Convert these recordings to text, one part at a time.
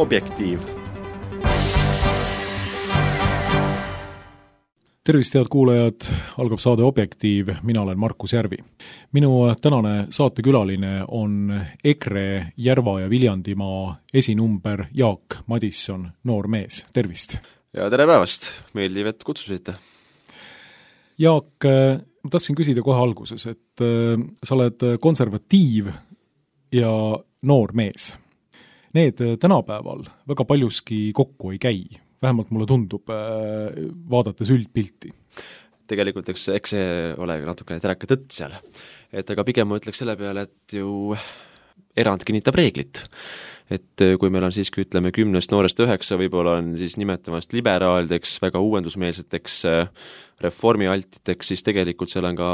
Objektiiv. Tervist, head kuulajad, algab saade Objektiiv, mina olen Markus Järvi. Minu tänane saatekülaline on EKRE Järva ja Viljandimaa esinumber Jaak Madisson, noor mees. Tervist! Ja tere päevast! Meeldiv, et kutsusite. Jaak, ma tahtsin küsida kohe alguses, et sa oled konservatiiv ja noor mees. Need tänapäeval väga paljuski kokku ei käi. Vähemalt mulle tundub, vaadates üldpilti. Tegelikult eks see ole natukene teraka tõtt seal. Et aga pigem ma ütleks selle peale, et ju erand kinnitab reeglit. Et kui meil on siiski, ütleme, 10 noorest 9, võib-olla on siis nimetamast liberaalideks, väga uuendusmeelseteks reformialtiteks, siis tegelikult seal on ka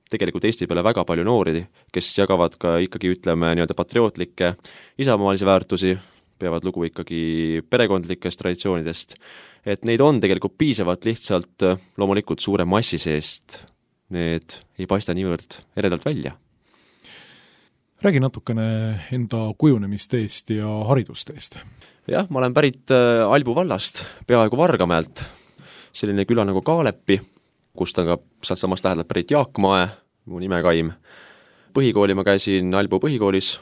Eesti peale väga palju noori, kes jagavad ka ikkagi, ütleme, nii-öelda patriootlikke isamaalisi väärtusi, peavad lugu ikkagi perekondlikest traditsioonidest, et neid on tegelikult piisavalt, lihtsalt loomulikult suure massi seest need ei paista niivõrd eredalt välja. Räägi natukene enda kujunemisteest ja haridusteest. Jah, ma olen pärit Albu vallast, peaaegu Vargamäelt, selline küla nagu Kaalepi, kust on ka sealt samast lähedalt pärit Jaak Mae, mu nimekaim. Põhikooli ma käisin Albu põhikoolis,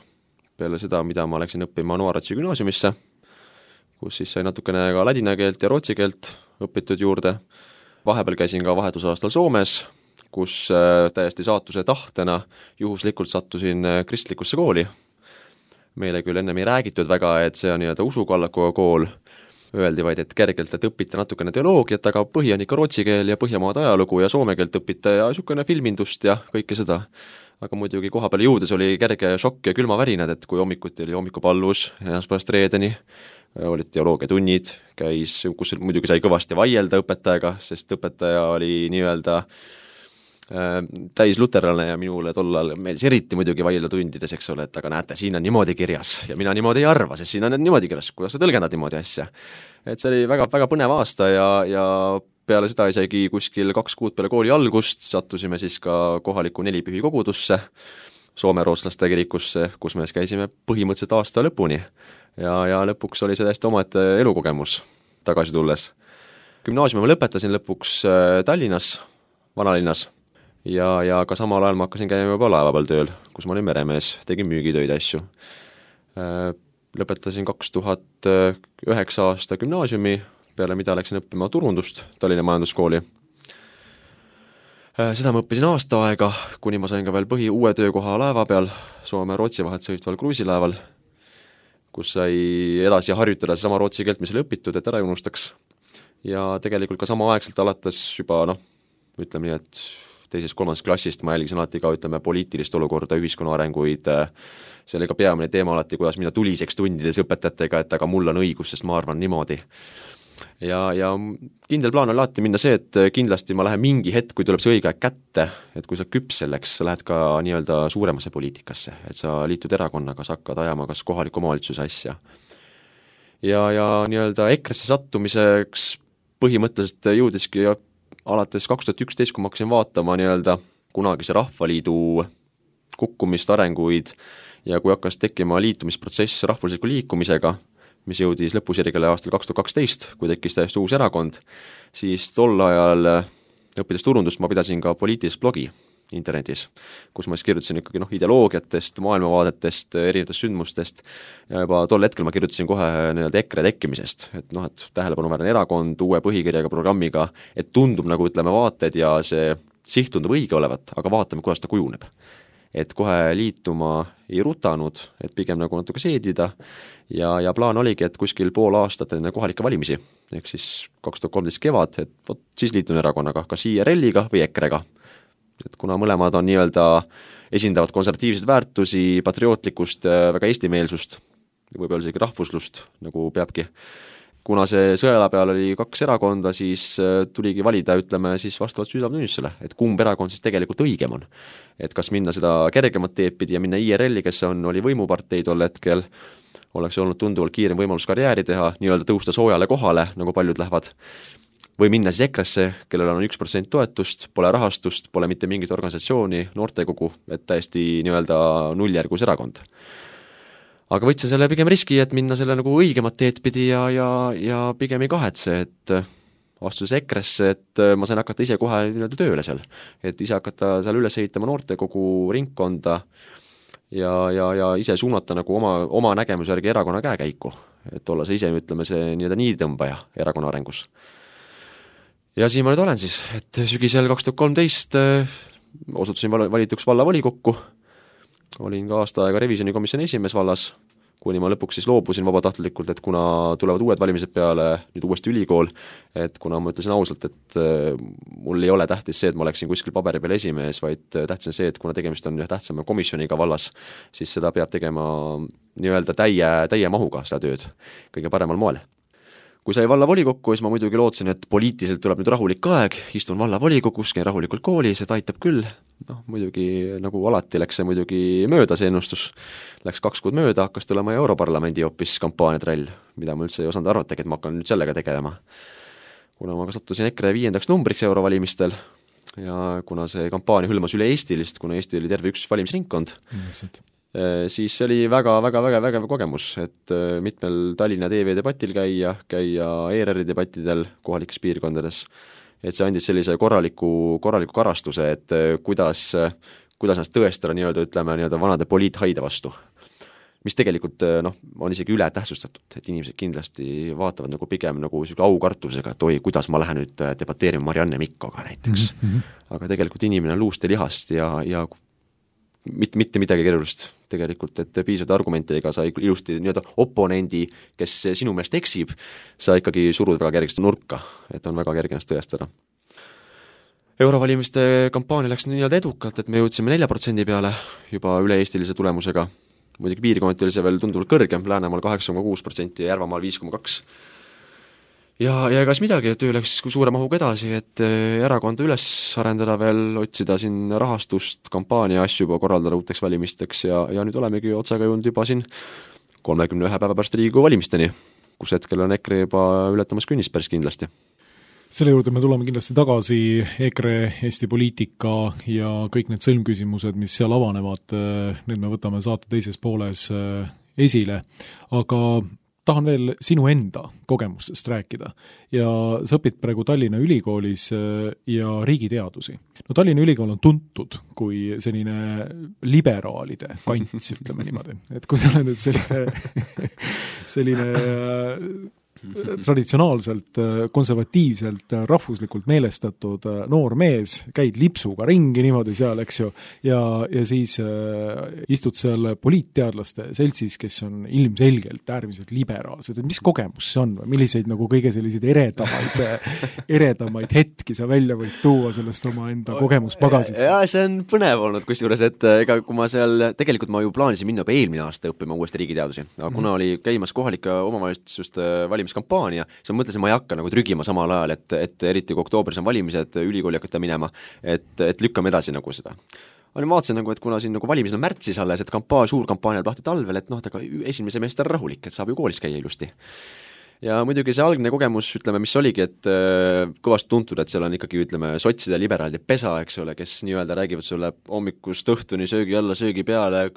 peale seda, mida ma läksin õppima Noaratsi gümnaasiumisse, kus siis sai natukene ka ladina keelt ja rootsi keelt õpitud juurde. Vahepeal käisin ka vahetusaastal Soomes, kus täiesti saatuse tahtena juhuslikult sattusin kristlikusse kooli. Meile küll ennem ei räägitud väga, et see on nii-öelda usukallakuga kool. Öeldi vaid, et kergelt, et õpite natukene teoloogiat, aga põhi on ikka rootsi keel ja Põhjamaade ajalugu ja soome keelt õpite ja niisugune filmindust ja kõike seda. Aga muidugi koha peale jõudes oli kerge šokk ja külmavärinad, et kui hommikuti oli hommikupallus esmaspäevast reedeni, olid teoloogiatunnid, kus muidugi sai kõvasti vaielda õpetajaga, sest õpetaja oli nii-öelda täis luterlane ja minule tollal meeldis eriti muidugi vaielda tundides, eks ole, et aga näete, siin on niimoodi kirjas ja mina niimoodi ei arva, sest siin on niimoodi kirjas, kuidas sa tõlgendad niimoodi asja. Et see oli väga, väga põnev aasta ja peale seda isegi kuskil 2 kuud peale kooli algust sattusime siis ka kohaliku 4 pühi kogudusse, soome-rootslaste kirikusse, kus me käisime põhimõtteliselt aasta lõpuni ja lõpuks oli see täiesti omaette elukogemus tagasi tulles. Gümnaasiumi ma lõpetasin lõpuks Tallinnas, vanalinnas ja ka samal ajal ma hakkasin käima juba laeva peal tööl, kus ma olin meremees, tegin müügitöid asju. Lõpetasin 2009 aasta gümnaasiumi, peale mida läksin õppima turundust Tallinna majanduskooli. Seda ma õppisin aasta aega, kuni ma sain ka veel uue töökoha laeva peal, Soome-Rootsi vahet sõitval kruiisilaeval, kus sai edasi harjutada sama rootsi keelt, mis oli õpitud, et ära ei unustaks. Ja tegelikult ka sama aegselt alates juba, ütleme nii, et 2.-3. klassist ma jälgisin alati ka, ütleme, poliitilist olukorda, ühiskonna arenguid, see oli ka peamine teema alati, kuidas mina tuliseks tundides õpetajatega, et aga mul on õigus, sest ma arvan niimoodi. Ja kindel plaan on alati minna see, et kindlasti ma lähen mingi hetk, kui tuleb see õige aeg kätte, et kui sa küps selleks, sa lähed ka nii-öelda suuremasse poliitikasse, et sa liitud erakonnaga, sa hakkad ajama kas kohaliku omavalitsuse asja. Ja nii-öelda EKRE-sse sattumiseks põhimõtteliselt jõudiski alates 2011, kui ma hakkasin vaatama nii-öelda kunagise Rahvaliidu kukkumist, arenguid ja kui hakkas tekkima liitumisprotsess rahvusliku liikumisega, mis jõudis lõpusirgele aastal 2012, kui tekkis täiesti uus erakond, siis tol ajal õppides turundust ma pidasin ka poliitilist blogi internetis, kus ma siis kirjutasin ikkagi ideoloogiatest, maailmavaadetest, erinevatest sündmustest ja juba tol hetkel ma kirjutasin kohe nii-öelda EKRE tekkimisest, et tähelepanuväärne erakond uue põhikirjaga programmiga, et tundub nagu ütleme vaated ja see siht tundub õige olevat, aga vaatame, kuidas ta kujuneb. Et kohe liituma ei rutanud, et pigem nagu natuke seedida ja plaan oligi, et kuskil pool aastat enne kohalikke valimisi, ehk siis 2013 kevad, et siis liitun erakonnaga, kas IRL-iga või EKRE-ga. Et kuna mõlemad on nii-öelda esindavad konservatiivseid väärtusi, patriootlikkust, väga eestimeelsust, võib-olla isegi rahvuslust, nagu peabki. Kuna see sõela peal oli 2 erakonda, siis tuligi valida, ütleme, siis vastavalt südametunnistusele, et kumb erakond siis tegelikult õigem on. Et kas minna seda kergemat teepidi ja minna IRL-i, kes oli võimupartei tol hetkel, oleks olnud tunduvalt kiirem võimalus karjääri teha, nii-öelda tõusta soojale kohale, nagu paljud lähevad, või minna siis EKRE-sse, kellel on 1% toetust, pole rahastust, pole mitte mingit organisatsiooni, noortekogu, et täiesti nii-öelda nulljärgus erakond. aga võtsin selle pigem riski, et minna selle nagu õigemat teed pidi ja pigem ei kahetse, et astudes EKRE-sse, et ma sain hakata ise kohe nii-öelda tööle seal. Et ise hakata seal üles ehitama noortekogu ringkonda ja ise suunata nagu oma nägemuse järgi erakonna käekäiku. Et olla see ise, ütleme, see nii-öelda niiditõmbaja erakonna arengus. Ja siin ma nüüd olen siis, et sügisel 2013 osutusin valituks vallavolikokku, olin ka aasta aega revisjonikomisjoni esimees vallas, kuni ma lõpuks siis loobusin vabatahtlikult, et kuna tulevad uued valimised peale, nüüd uuesti ülikool, et kuna ma ütlesin ausalt, et mul ei ole tähtis see, et ma oleksin kuskil paberi peal esimees, vaid tähtis on see, et kuna tegemist on tähtsama komisjoniga vallas, siis seda peab tegema nii-öelda täie mahuga seda tööd kõige paremal moel. Kui sai vallavolikokku, siis ma muidugi lootsin, et poliitiliselt tuleb nüüd rahulik aeg, istun vallavolikogus, käin rahulikult koolis, et aitab küll. Muidugi nagu alati läks see muidugi mööda see ennustus. Läks 2 kuud mööda, hakkas tulema Europarlamendi hoopis kampaaniatrall, mida ma üldse ei osanud arvatagi, et ma hakkan nüüd sellega tegelema. Kuna ma sattusin EKRE 5. numbriks eurovalimistel ja kuna see kampaania hõlmas üle Eestilist, kuna Eesti oli terve üks valimisringkond, siis see oli väga kogemus, et mitmel Tallinna TV debatil käia ERR-i debattidel kohalikes piirkondades, et see andis sellise korraliku karastuse, et kuidas ennast tõestada nii-öelda vanade poliithaide vastu, mis tegelikult on isegi üle tähtsustatud, et inimesed kindlasti vaatavad nagu pigem nagu aukartusega, et oi, kuidas ma lähen nüüd debateerima Marianne Mikkoga näiteks, aga tegelikult inimene on luust ja lihast ja mitte midagi keerulist tegelikult, et piisavalt argumentidega sa ilusti nii-öelda oponendi, kes sinu meelest eksib, sa ikkagi surud väga kergesti nurka, et on väga kerge ennast tõestada. Eurovalimiste kampaania läks nii-öelda edukalt, et me jõudsime 4% peale juba üle-eestilise tulemusega, muidugi piirkonnati oli see veel tunduvalt kõrgem, Läänemaal 8,6% ja Järvamaal 5,2%. Ja egas midagi, töö läks suure mahuga edasi, et erakonda üles arendada veel, otsida siin rahastust, kampaania asju juba korraldada uuteks valimisteks ja nüüd olemegi otsaga jõudnud juba siin 31 päeva pärast Riigikogu valimisteni, kus hetkel on EKRE juba ületamas künnist päris kindlasti. Selle juurde me tuleme kindlasti tagasi, EKRE, Eesti poliitika ja kõik need sõlmküsimused, mis seal avanevad, need me võtame saate teises pooles esile, aga tahan veel sinu enda kogemustest rääkida ja sa õpid praegu Tallinna Ülikoolis ja riigiteadusi. No Tallinna Ülikool on tuntud kui selline liberaalide kants, ütleme niimoodi, et kui sa oled nüüd selline traditsionaalselt, konservatiivselt, rahvuslikult meelestatud noor mees, käid lipsuga ringi niimoodi seal, eks ju, ja siis istud seal poliitteadlaste seltsis, kes on ilmselgelt äärmiselt liberaalsed, et mis kogemus see on või milliseid nagu kõige selliseid eredamaid hetki sa välja võid tuua sellest oma enda kogemuspagasist? Ja see on põnev olnud kusjuures, et ega kui ma seal, tegelikult ma ju plaanisin minna juba eelmine aasta õppima uuesti riigiteadusi, aga kuna oli käimas kohalike omavalitsuste valimiskampaania, siis ma mõtlesin, ma ei hakka nagu trügima samal ajal, et eriti kui oktoobris on valimised, ülikooli hakata minema, et lükkame edasi nagu seda. Ma vaatasin nagu, et kuna siin nagu valimisel on märtsis alles, et suur kampaania lahti talvel, et aga esimene semester rahulik, et saab ju koolis käia ilusti. Ja muidugi see algne kogemus, ütleme, mis oligi, et kõvasti tuntud, et seal on ikkagi, ütleme, sotside liberaalide pesa, eks ole, kes nii-öelda räägivad sulle hommikust õhtuni söögi alla, söögi peale,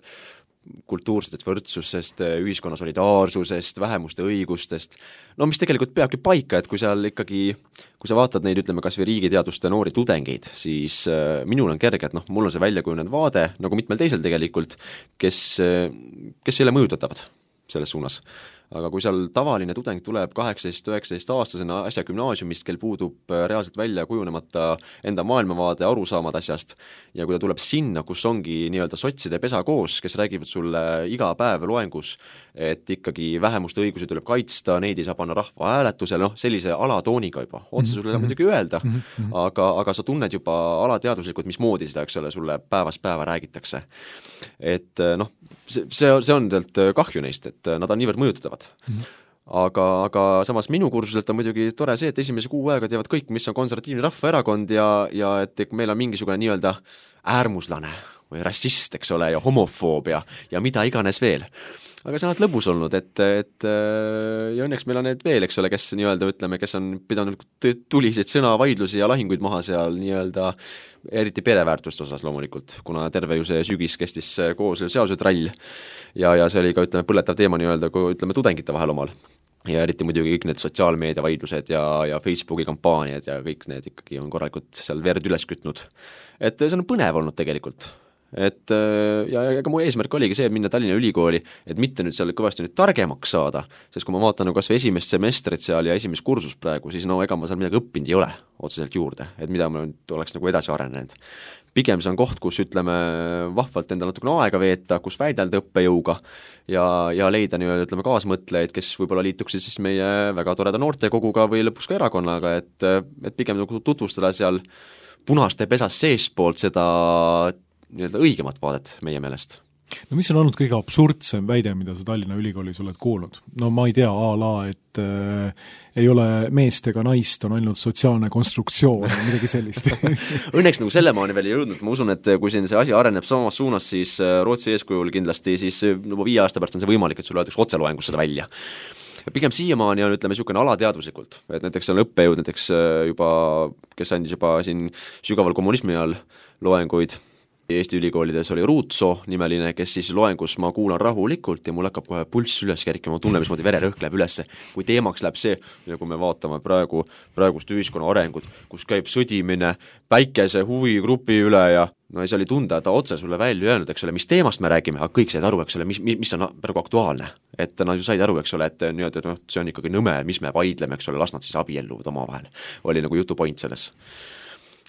kultuursest võrdsusest, ühiskonna solidaarsusest, vähemuste õigustest, no mis tegelikult peabki paika, et kui seal ikkagi, kui sa vaatad neid, ütleme, kas või riigiteaduste noori tudengeid, siis minul on kerge, et mul on see väljakujunenud vaade, nagu mitmel teisel tegelikult, kes ei ole mõjutatavad selles suunas. Aga kui seal tavaline tudeng tuleb 18-19 aastasena asja gümnaasiumist, kel puudub reaalselt välja kujunemata enda maailmavaade, arusaamad asjast, ja kui ta tuleb sinna, kus ongi nii-öelda sotside pesa koos, kes räägivad sulle iga päev loengus, et ikkagi vähemuste õigusi tuleb kaitsta, neid ei saa panna rahva hääletusele, sellise alatooniga juba, otse sulle muidugi öelda, aga sa tunned juba alateaduslikult, mismoodi seda, eks ole, sulle päevast päeva räägitakse. Et see on tegelikult kahju neist, et nad on niivõrd mõjutatavad. Aga samas minu kursuselt on muidugi tore see, et esimese kuu aega teavad kõik, mis on konservatiivne rahvaerakond ja et meil on mingisugune nii-öelda äärmuslane või rassist, eks ole, ja homofoobia ja mida iganes veel. aga see on lõbus olnud, et ja õnneks meil on need veel, eks ole, kes nii-öelda ütleme, kes on pidanud tuliseid sõnavaidlusi ja lahinguid maha seal nii-öelda eriti pereväärtuste osas loomulikult, kuna terve ju see sügis kestis koos seaduse trall ja see oli ka, ütleme, põletav teema nii-öelda, kui ütleme, tudengite vahel omal. Ja eriti muidugi kõik need sotsiaalmeedia vaidlused ja Facebooki kampaaniad ja kõik need ikkagi on korralikult seal verd üles kütnud. Et see on põnev olnud tegelikult. Et ja ega mu eesmärk oligi see, et minna Tallinna Ülikooli, et mitte nüüd seal kõvasti nüüd targemaks saada, sest kui ma vaatan kas või esimest semestrit seal ja esimest kursust praegu, siis no ega ma seal midagi õppinud ei ole otseselt juurde, et mida ma nüüd oleks nagu edasi arenenud. Pigem see on koht, kus ütleme vahvalt endal natukene aega veeta, kus väidelda õppejõuga ja leida nii-öelda ütleme kaasmõtlejaid, kes võib-olla liituksid siis meie väga toreda noortekoguga või lõpus ka erakonnaga, et pigem nagu tutvustada seal punaste pesas seespoolt seda nii-öelda õigemat vaadet meie meelest. No mis on olnud kõige absurdsem väide, mida sa Tallinna Ülikoolis oled kuulnud? No ma ei tea, et ei ole meest ega naist, on ainult sotsiaalne konstruktsioon, midagi sellist. Õnneks nagu selle maani veel ei jõudnud, ma usun, et kui siin see asi areneb samas suunas, siis Rootsi eeskujul kindlasti siis juba 5 aasta pärast on see võimalik, et sulle öeldakse otseloengus seda välja. Ja pigem siiamaani on, ütleme, niisugune alateadvuslikult, et näiteks on õppejõud näiteks juba, kes andis juba siin sügaval kommunismi all loenguid, Eesti ülikoolides oli Ruutso nimeline, kes siis loengus ma kuulan rahulikult ja mul hakkab kohe pulss üles kerkima, ma tunnen, mismoodi vererõhk läheb üles, kui teemaks läheb see, ja kui me vaatame praegust ühiskonna arengut, kus käib sõdimine päikese huvigrupi üle ja no ei, see oli tunda, ta otse sulle välja öelnud, eks ole, mis teemast me räägime, aga kõik said aru, eks ole, mis on praegu aktuaalne. Et nad ju said aru, eks ole, et nii-öelda, see on ikkagi nõme, mis me vaidleme, eks ole, las nad siis abielluvad omavahel. Oli nagu jutu point selles.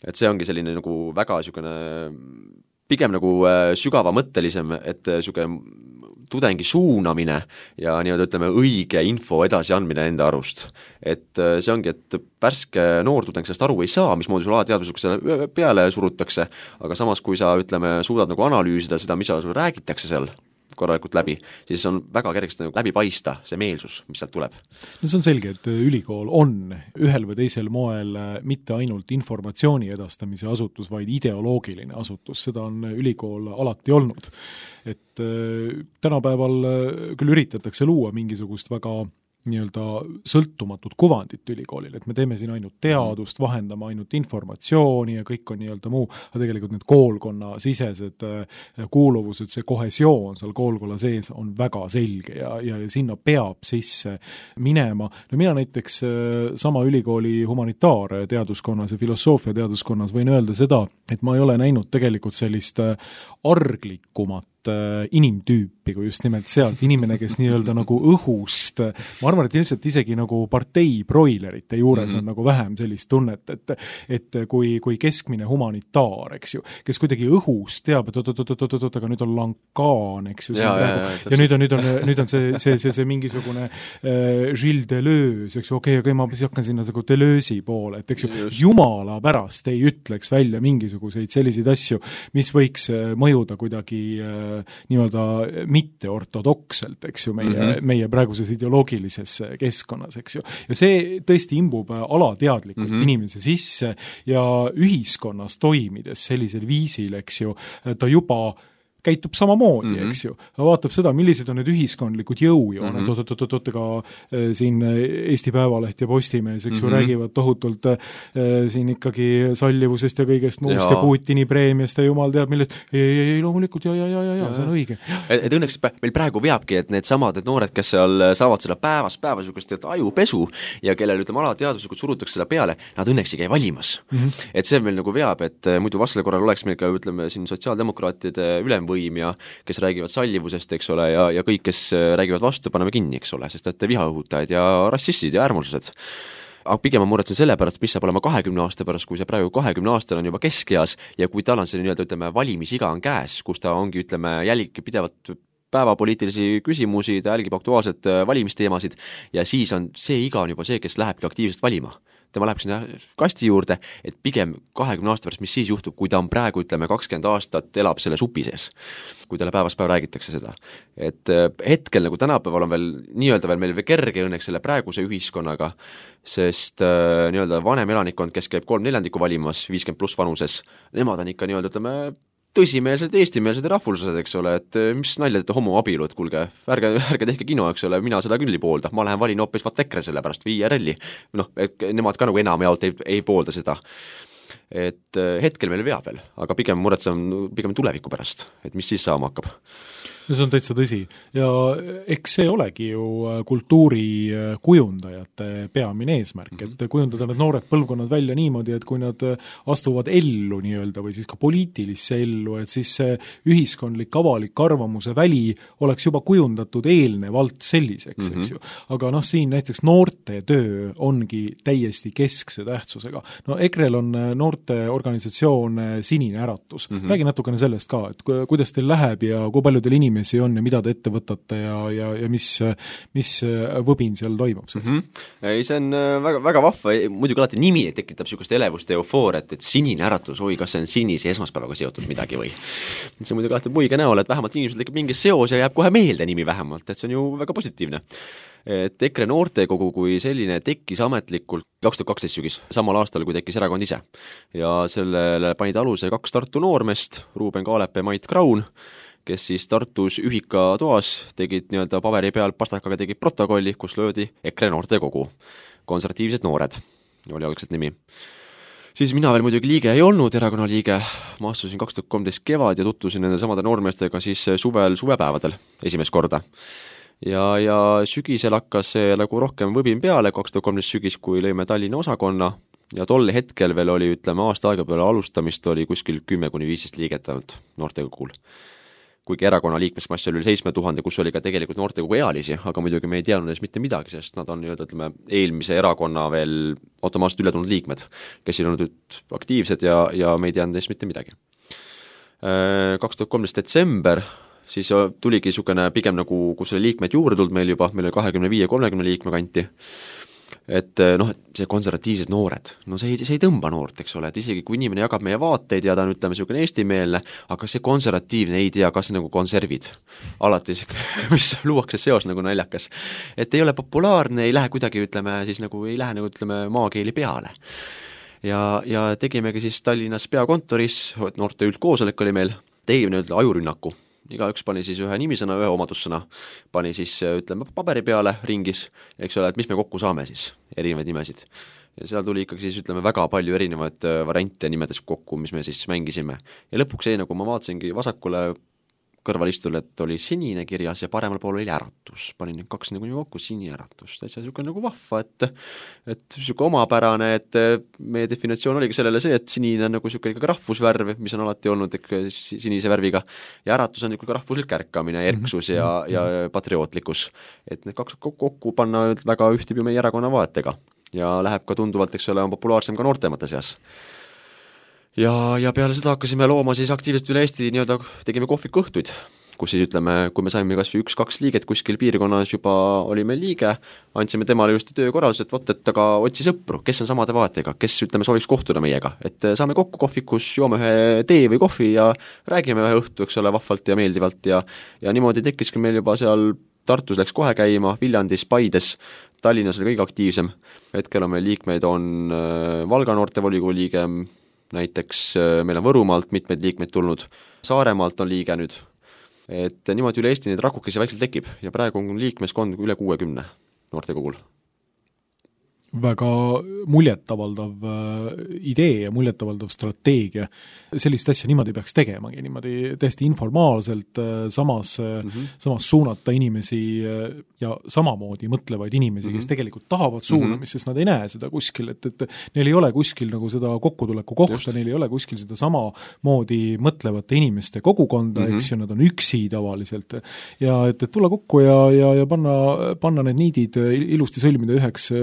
Et see ongi selline nagu väga niisugune pigem nagu sügava mõttelisem, et niisugune tudengi suunamine ja nii-öelda ütleme õige info edasi andmine enda arust. Et see ongi, et pärske noor tudeng sellest aru ei saa, mismoodi sul alateadvuslikult selle peale surutakse, aga samas kui sa ütleme, suudad nagu analüüsida seda, mis sul räägitakse seal korralikult läbi, siis on väga kergesti nagu läbi paista see meelsus, mis sealt tuleb. No see on selge, et ülikool on ühel või teisel moel mitte ainult informatsiooni edastamise asutus, vaid ideoloogiline asutus, seda on ülikool alati olnud. Et tänapäeval küll üritatakse luua mingisugust väga nii-öelda sõltumatut kuvandit ülikoolil, et me teeme siin ainult teadust, vahendame ainult informatsiooni ja kõik on nii-öelda muu, aga tegelikult need koolkonna sisesed kuuluvused, see kohesioon seal koolkonna sees on väga selge ja sinna peab sisse minema. No mina näiteks sama ülikooli humanitaarteaduskonnas ja filosoofia teaduskonnas võin öelda seda, et ma ei ole näinud tegelikult sellist arglikumat inimtüüpi, kui just nimelt sealt inimene, kes nii-öelda nagu õhust, ma arvan, et ilmselt isegi nagu partei broilerite juures on nagu vähem sellist tunnet, et kui keskmine humanitaar, eks ju, kes kuidagi õhust teab, et aga nüüd on Lankaan, eks ju, ja nüüd on see mingisugune Gilles Deleuze, eks ju, okei, ma hakkan sinna nagu Deleuze'i poole, et eks ju, jumala pärast ei ütleks välja mingisuguseid selliseid asju, mis võiks mõjuda kuidagi nii-öelda mitte ortodokselt, eks ju, meie praeguses ideoloogilises keskkonnas, eks ju. Ja see tõesti imbub alateadlikult inimese sisse ja ühiskonnas toimides sellisel viisil, eks ju, ta juba käitub samamoodi, eks ju. Vaatab seda, millised on need ühiskondlikud jõujooned, ega siin Eesti Päevaleht ja Postimees, eks ju, räägivad tohutult siin ikkagi sallivusest ja kõigest muust ja Putini preemiast ja jumal teab millest. Ei, loomulikult, ja, see on õige. Et õnneks meil praegu veabki, et need samad noored, kes seal saavad seda päevas sugust ajupesu ja kellel ütleme alateaduslikult surutakse seda peale, nad õnneks ei käi valimas. Et see meil nagu veab, et muidu vastasel korral oleks meil ka, ütleme, siin sotsiaaldemokraatide ülemvõim ja kes räägivad sallivusest, eks ole, ja kõik, kes räägivad vastu, paneme kinni, eks ole, sest et vihaõhutajad ja rassistid ja äärmuslased. Aga pigem ma muretsen selle pärast, mis saab olema 20 aasta pärast, kui see praegu 20 aastal on juba keskeas ja kui tal on see nii-öelda, ütleme, valimisiga on käes, kus ta ongi, ütleme, jälgib pidevalt päevapoliitilisi küsimusi, ta jälgib aktuaalselt valimisteemasid ja siis on see iga on juba see, kes lähebki aktiivselt valima. Tema läheb sinna kasti juurde, et pigem 20 aasta pärast, mis siis juhtub, kui ta on praegu, ütleme, 20 aastat elab selle supi sees, kui talle päevast päev räägitakse seda. Et hetkel nagu tänapäeval on veel nii-öelda veel meil kerge õnneks selle praeguse ühiskonnaga, sest nii-öelda vanem elanikkond, kes käib 3/4 valimas, 50+ vanuses, nemad on ikka nii-öelda, ütleme, tõsimeelsed eestimeelsed ja rahvuslased, eks ole, et mis nalja teete homoabielu, et kuulge, ärge tehke kino, eks ole, mina seda küll ei poolda, ma lähen valin hoopis vaat EKRE selle pärast või IRL-i, noh, et nemad ka nagu enamjaolt ei poolda seda. Et hetkel meil veab veel, aga pigem muretseme pigem tuleviku pärast, et mis siis saama hakkab. No see on täitsa tõsi ja eks see olegi ju kultuuri kujundajate peamine eesmärk, et kujundada need noored põlvkonnad välja niimoodi, et kui nad astuvad ellu nii-öelda või siis ka poliitilisse ellu, et siis see ühiskondlik avalik arvamuse väli oleks juba kujundatud eelnevalt selliseks, eks ju. Aga noh, siin näiteks noorte töö ongi täiesti keskse tähtsusega. No EKRE-l on noorteorganisatsioon Sinine Äratus. Räägi natukene sellest ka, et kuidas teil läheb ja kui palju teil inimesi on ja mida te ette võtate ja mis võbin seal toimub siis? Ei, see on väga, väga vahva, muidugi alati nimi tekitab niisugust elevust ja eufooret, et Sinine Äratus, oi, kas see on sinise esmaspäevaga seotud midagi või? See on muidugi alati muige näol, et vähemalt inimesel tekib mingi seos ja jääb kohe meelde nimi vähemalt, et see on ju väga positiivne. Et EKRE noortekogu kui selline tekkis ametlikult 2012 sügis, samal aastal, kui tekkis erakond ise. Ja sellele panid aluse 2 Tartu noormest, Ruuben Kaalep ja Mait Kraun, kes siis Tartus ühika toas tegid nii-öelda paberi peal pastakaga tegid protokolli, kus löödi EKRE noortekogu. Konservatiivsed noored oli algselt nimi. Siis mina veel muidugi liige ei olnud, erakonna liige, ma astusin 2013 kevad ja tutvusin nende samade noormeestega siis suvepäevadel esimest korda. Ja sügisel hakkas see nagu rohkem võbin peale, 2013 sügis, kui lõime Tallinna osakonna ja tol hetkel veel oli, ütleme, aasta aega peale alustamist oli kuskil 10-15 liiget ainult noortekogul. Kuigi erakonna liikmesmass oli 7000, kus oli ka tegelikult noortekogu ealisi, aga muidugi me ei teadnud ees mitte midagi, sest nad on ütleme, eelmise erakonna veel automaatselt üle tulnud liikmed, kes ei olnud aktiivsed ja me ei teadnud ees mitte midagi. 2013 detsember, siis tuligi niisugune pigem nagu, kus oli liikmed juurde tulnud meil juba, meil oli 25-30 liikme kanti, et noh, see konservatiivsed noored, no see ei tõmba noort, eks ole, et isegi kui inimene jagab meie vaateid ja ta on, ütleme, niisugune eestimeelne, aga see konservatiivne ei tea, kas nagu konservid. Alati, mis luuakse seos nagu naljakas. Et ei ole populaarne, ei lähe kuidagi, ütleme, siis nagu ei lähe nagu, ütleme, maakeeli peale. Ja tegimegi siis Tallinnas peakontoris, noorte üldkoosolek oli meil, tegime nüüd ajurünnaku. Igaüks pani siis ühe nimisõna, ühe omadussõna, pani siis, ütleme, paberi peale ringis, eks ole, et mis me kokku saame siis, erinevaid nimesid. Ja seal tuli ikkagi siis, ütleme, väga palju erinevaid variante nimedes kokku, mis me siis mängisime. Ja lõpuks nagu ma vaatasingi vasakule kõrvalistul, et oli sinine kirjas ja paremal pool oli äratus. Panin need 2 nagu kokku, Sinine Äratus. Täitsa niisugune nagu vahva, et niisugune omapärane, et meie definitsioon oligi sellele see, et sinine on nagu niisugune rahvusvärv, mis on alati olnud sinise värviga, ja äratus on niisugune rahvuslik ärkamine, erksus ja patriootlikkus. Et need 2 kokku panna väga ühtib ju meie erakonna vaatega ja läheb ka tunduvalt, eks ole, on populaarsem ka noortemate seas. Ja peale seda hakkasime looma siis aktiivselt üle Eesti, nii-öelda tegime kohvikõhtuid, kus siis ütleme, kui me saime kas või 1-2 liiget kuskil piirkonnas juba oli meil liige, andsime temale just töökorraldus, et vot, et aga otsi sõpru, kes on samade vaatega, kes, ütleme, sooviks kohtuda meiega, et saame kokku kohvikus, joome ühe tee või kohvi ja räägime ühe õhtu, eks ole, vahvalt ja meeldivalt ja niimoodi tekkiski meil juba seal Tartus läks kohe käima, Viljandis, Paides, Tallinnas oli kõige aktiivsem, hetkel on meil liikmeid, on Valga noortevolikogu liige, näiteks meil on Võrumaalt mitmeid liikmeid tulnud, Saaremaalt on liige nüüd, et niimoodi üle Eesti neid rakukesi väikselt tekib ja praegu on liikmeskond üle 60 noortekogul. Väga muljetavaldav idee ja muljetavaldav strateegia. Sellist asja niimoodi peaks tegemagi, niimoodi täiesti informaalselt samas suunata inimesi ja samamoodi mõtlevaid inimesi, kes tegelikult tahavad suunamist, sest nad ei näe seda kuskil, et neil ei ole kuskil nagu seda kokkutuleku kohta, neil ei ole kuskil seda sama moodi mõtlevate inimeste kogukonda, eks ju, nad on üksi tavaliselt ja et tulla kokku ja panna need niidid ilusti sõlmida üheks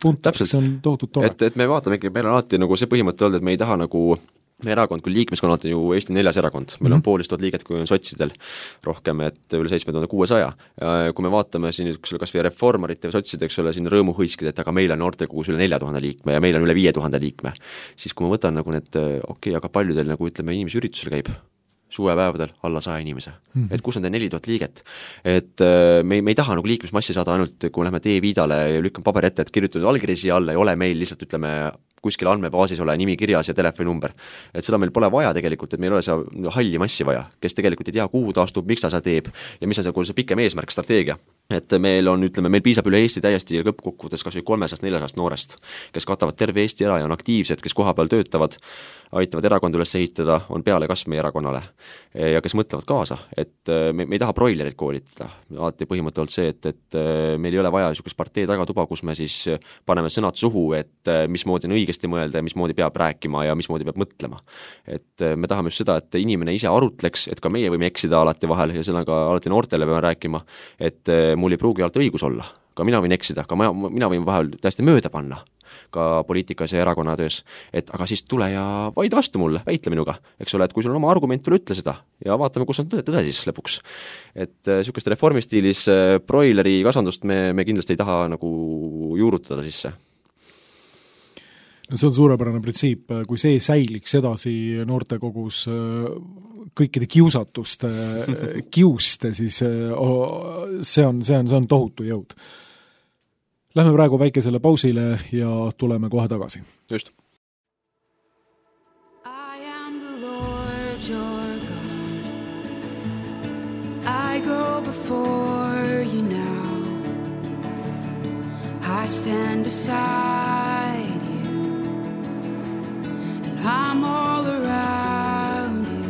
täpselt, see on tohutult tore. Et me vaatame ikka, meil on alati nagu see põhimõte olnud, et me ei taha nagu, meie erakond kui liikmeskonnalt on ju Eesti 4. erakond, meil on 500 liiget, kui on sotsidel rohkem, et üle 7600. Kui me vaatame siin kas või reformarite või sotsid, eks ole, siin rõõmuhõiskid, et aga meil on noortekogus üle 4000 liikme ja meil on üle 5000 liikme, siis kui ma võtan nagu need, aga palju teil nagu, ütleme, inimesi üritusel käib, suvepäevadel alla 100 inimese. Et kus on teil 4000 liiget? Et me ei taha nagu liikmesmassi saada ainult, kui lähme tee viidale ja lükkame paberi ette, et kirjutatud allkiri siia alla, ei ole meil lihtsalt, ütleme, kuskil andmebaasis ole nimi kirjas ja telefoninumber. Et seda meil pole vaja tegelikult, et meil ole see halli massi vaja, kes tegelikult ei tea, kuhu ta astub, miks ta seda teeb ja mis on see pikem eesmärk, strateegia. Et meil on, ütleme, meil piisab üle Eesti täiesti lõppkokkuvõttes kas või 300-400 noorest, kes katavad terve Eesti ära ja on aktiivsed, kes kohapeal töötavad, aitavad erakond üles ehitada, on peale kasv meie erakonnale ja kes mõtlevad kaasa, et me ei taha broilerit koolitada. Alati põhimõte olnud see, et meil ei ole vaja niisugust partei tagatuba, kus me siis paneme sõnad suhu, et mismoodi on õigesti mõelda ja mismoodi peab rääkima ja mismoodi peab mõtlema. Et me tahame just seda, et inimene ise arutleks, et ka meie võime eksida alati vahel ja seda ka alati noortele peame rääkima, et mul ei pruugi alati õigus olla. Ka mina võin eksida, ka mina võin vahel täiesti mööda panna ka poliitikas ja erakonna töös, et aga siis tule ja vaida vastu mulle, väitle minuga, eks ole, et kui sul on oma argument, tule ütle seda ja vaatame, kus on tõde siis lõpuks. Et niisugust reformistiilis broileri kasvandust me kindlasti ei taha nagu juurutada sisse. No see on suurepärane printsiip, kui see säiliks edasi noortekogus kõikide kiusatuste kiuste, siis see on tohutu jõud. Lähme praegu väikesele pausile ja tuleme kohe tagasi. Just. I am the Lord your God. I go before you now. I stand beside you. And I'm all around you.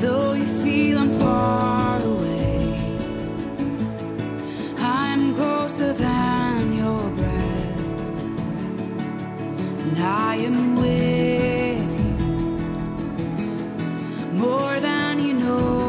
Though you feel I'm far away, than your breath, and I am with you more than you know.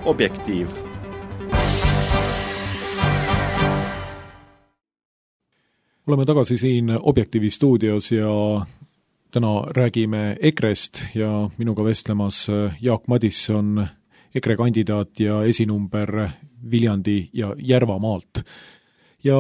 Objektiiv. oleme tagasi siin Objektiivi stuudios ja täna räägime EKRE-st ja minuga vestlemas Jaak Madisson, EKRE kandidaat ja esinumber Viljandi ja Järvamaalt. Ja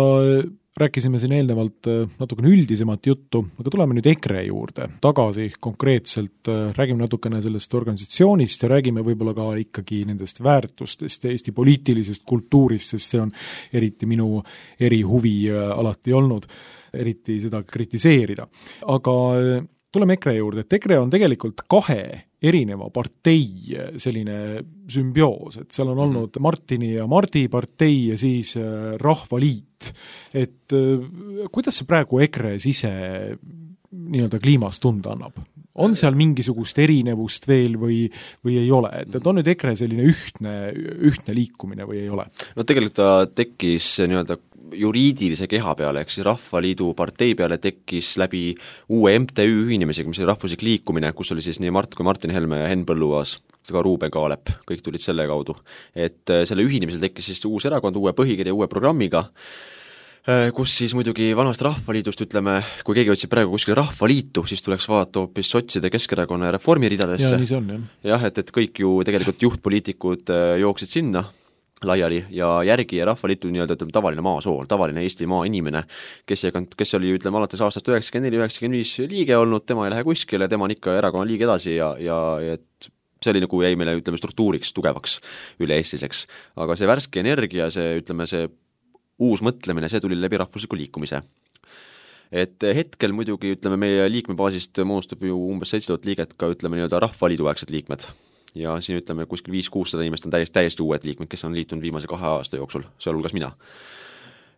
rääkisime siin eelnevalt natukene üldisemat juttu, aga tuleme nüüd EKRE juurde tagasi konkreetselt, räägime natukene sellest organisatsioonist ja räägime võib-olla ka ikkagi nendest väärtustest ja Eesti poliitilisest kultuurist, sest see on eriti minu erihuvi alati olnud, eriti seda kritiseerida. Aga tuleme EKRE juurde, et EKRE on tegelikult kahe erineva partei selline sümbioos, et seal on olnud Martini ja Mardi partei ja siis Rahvaliit. Et kuidas see praegu EKRE ise nii-öelda kliimas tunda annab? On seal mingisugust erinevust veel või ei ole? Et on nüüd EKRE selline ühtne liikumine või ei ole? No tegelikult ta tekkis nii-öelda juriidilise keha peale, ehk siis Rahvaliidu partei peale tekkis läbi uue MTÜ ühinemisega, mis oli rahvuslik liikumine, kus oli siis nii Mart kui Martin Helme ja Henn Põlluaas, ka Ruuben Kaalep, kõik tulid selle kaudu. Et selle ühinemisel tekkis siis uus erakond, uue põhikirja, uue programmiga, kus siis muidugi vanast Rahvaliidust, ütleme, kui keegi otsib praegu kuskil Rahvaliitu, siis tuleks vaadata hoopis sotside, Keskerakonna ja Reformi ridadesse. Ja nii see on, jah. Jah, et kõik ju tegelikult juhtpoliitikud jooksid sinna laiali ja järgi ja Rahvaliitu nii-öelda tavaline maasool, tavaline Eesti maainimene, kes oli, ütleme, alates aastast 94-95 liige olnud, tema ei lähe kuskile, tema on ikka erakonna liige edasi ja et see oli nagu jäi meile, ütleme, struktuuriks tugevaks üle-eestiseks. Aga see värske energia, see, ütleme, see uus mõtlemine, see tuli läbi rahvusliku liikumise. Et hetkel muidugi, ütleme, meie liikmebaasist moodustab ju umbes 7000 liiget ka, ütleme, nii-öelda Rahvaliidu aegsed liikmed. Ja siin, ütleme, kuskil 500-600 inimest on täiesti uued liikmed, kes on liitunud viimase 2 aasta jooksul, sealhulgas mina.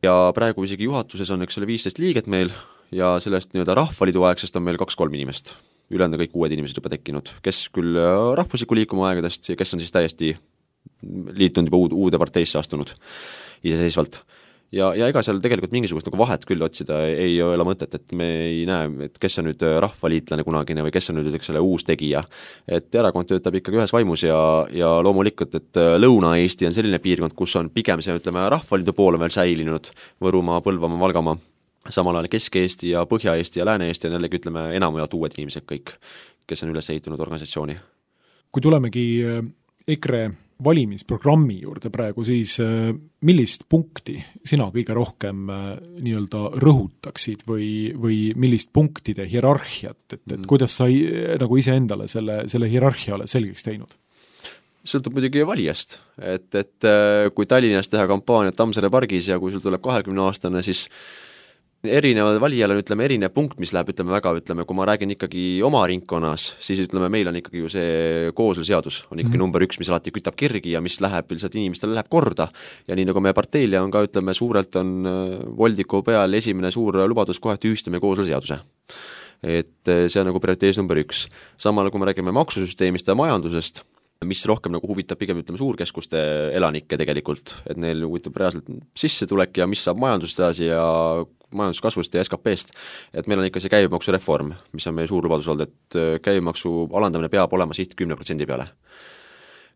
Ja praegu isegi juhatuses on, eks ole, 15 liiget meil ja sellest nii-öelda Rahvaliidu aegsest on meil 2-3 inimest. Ülejäänud kõik uued inimesed juba tekkinud, kes küll rahvusliku liikuma aegadest ja kes on siis täiesti liitunud juba uude parteisse astunud iseseisvalt. Ja ega seal tegelikult mingisugust nagu vahet küll otsida ei ole mõtet, et me ei näe, et kes on nüüd rahvaliitlane kunagine või kes on nüüd selle uus tegija. Et erakond töötab ikkagi ühes vaimus ja loomulikult, et Lõuna-Eesti on selline piirkond, kus on pigem see, ütleme, Rahvaliidu pool on veel säilinud, Võrumaa, Põlvamaa, Valgamaa, samal ajal Kesk-Eesti ja Põhja-Eesti ja Lääne-Eesti on jällegi, ütleme, enamujalt uued inimesed kõik, kes on üles ehitunud organisatsiooni. Kui tulemegi EKRE valimisprogrammi juurde praegu, siis millist punkti sina kõige rohkem nii-öelda rõhutaksid või millist punktide hierarhiat, et kuidas sa nagu iseendale selle hierarhiale selgeks teinud? Sõltub muidugi valijast, et kui Tallinnas teha kampaaniat Tammsaare pargis ja kui sul tuleb 20-aastane, siis erinevad valijal on, ütleme, erinev punkt, mis läheb, ütleme, väga, ütleme, kui ma räägin ikkagi oma ringkonnas, siis ütleme, meil on ikkagi ju see koosluseadus on ikkagi number 1, mis alati kütab kirgi ja mis läheb, lihtsalt inimestele läheb korda. Ja nii nagu meie parteile on ka, ütleme, suurelt on Voldiku peal esimene suur lubadus kohe tühistame koosluseaduse. Et see on nagu prioritees number 1. Samal kui me räägime maksusüsteemist ja majandusest, mis rohkem nagu huvitab pigem, ütleme, suurkeskuste elanikke tegelikult, et neil huvitab reaalselt sissetulek ja mis saab majandusest edasi ja majanduskasvust ja SKP-st, et meil on ikka see käibemaksureform, mis on meie suur lubadus olnud, et käibemaksu alandamine peab olema siht 10% peale.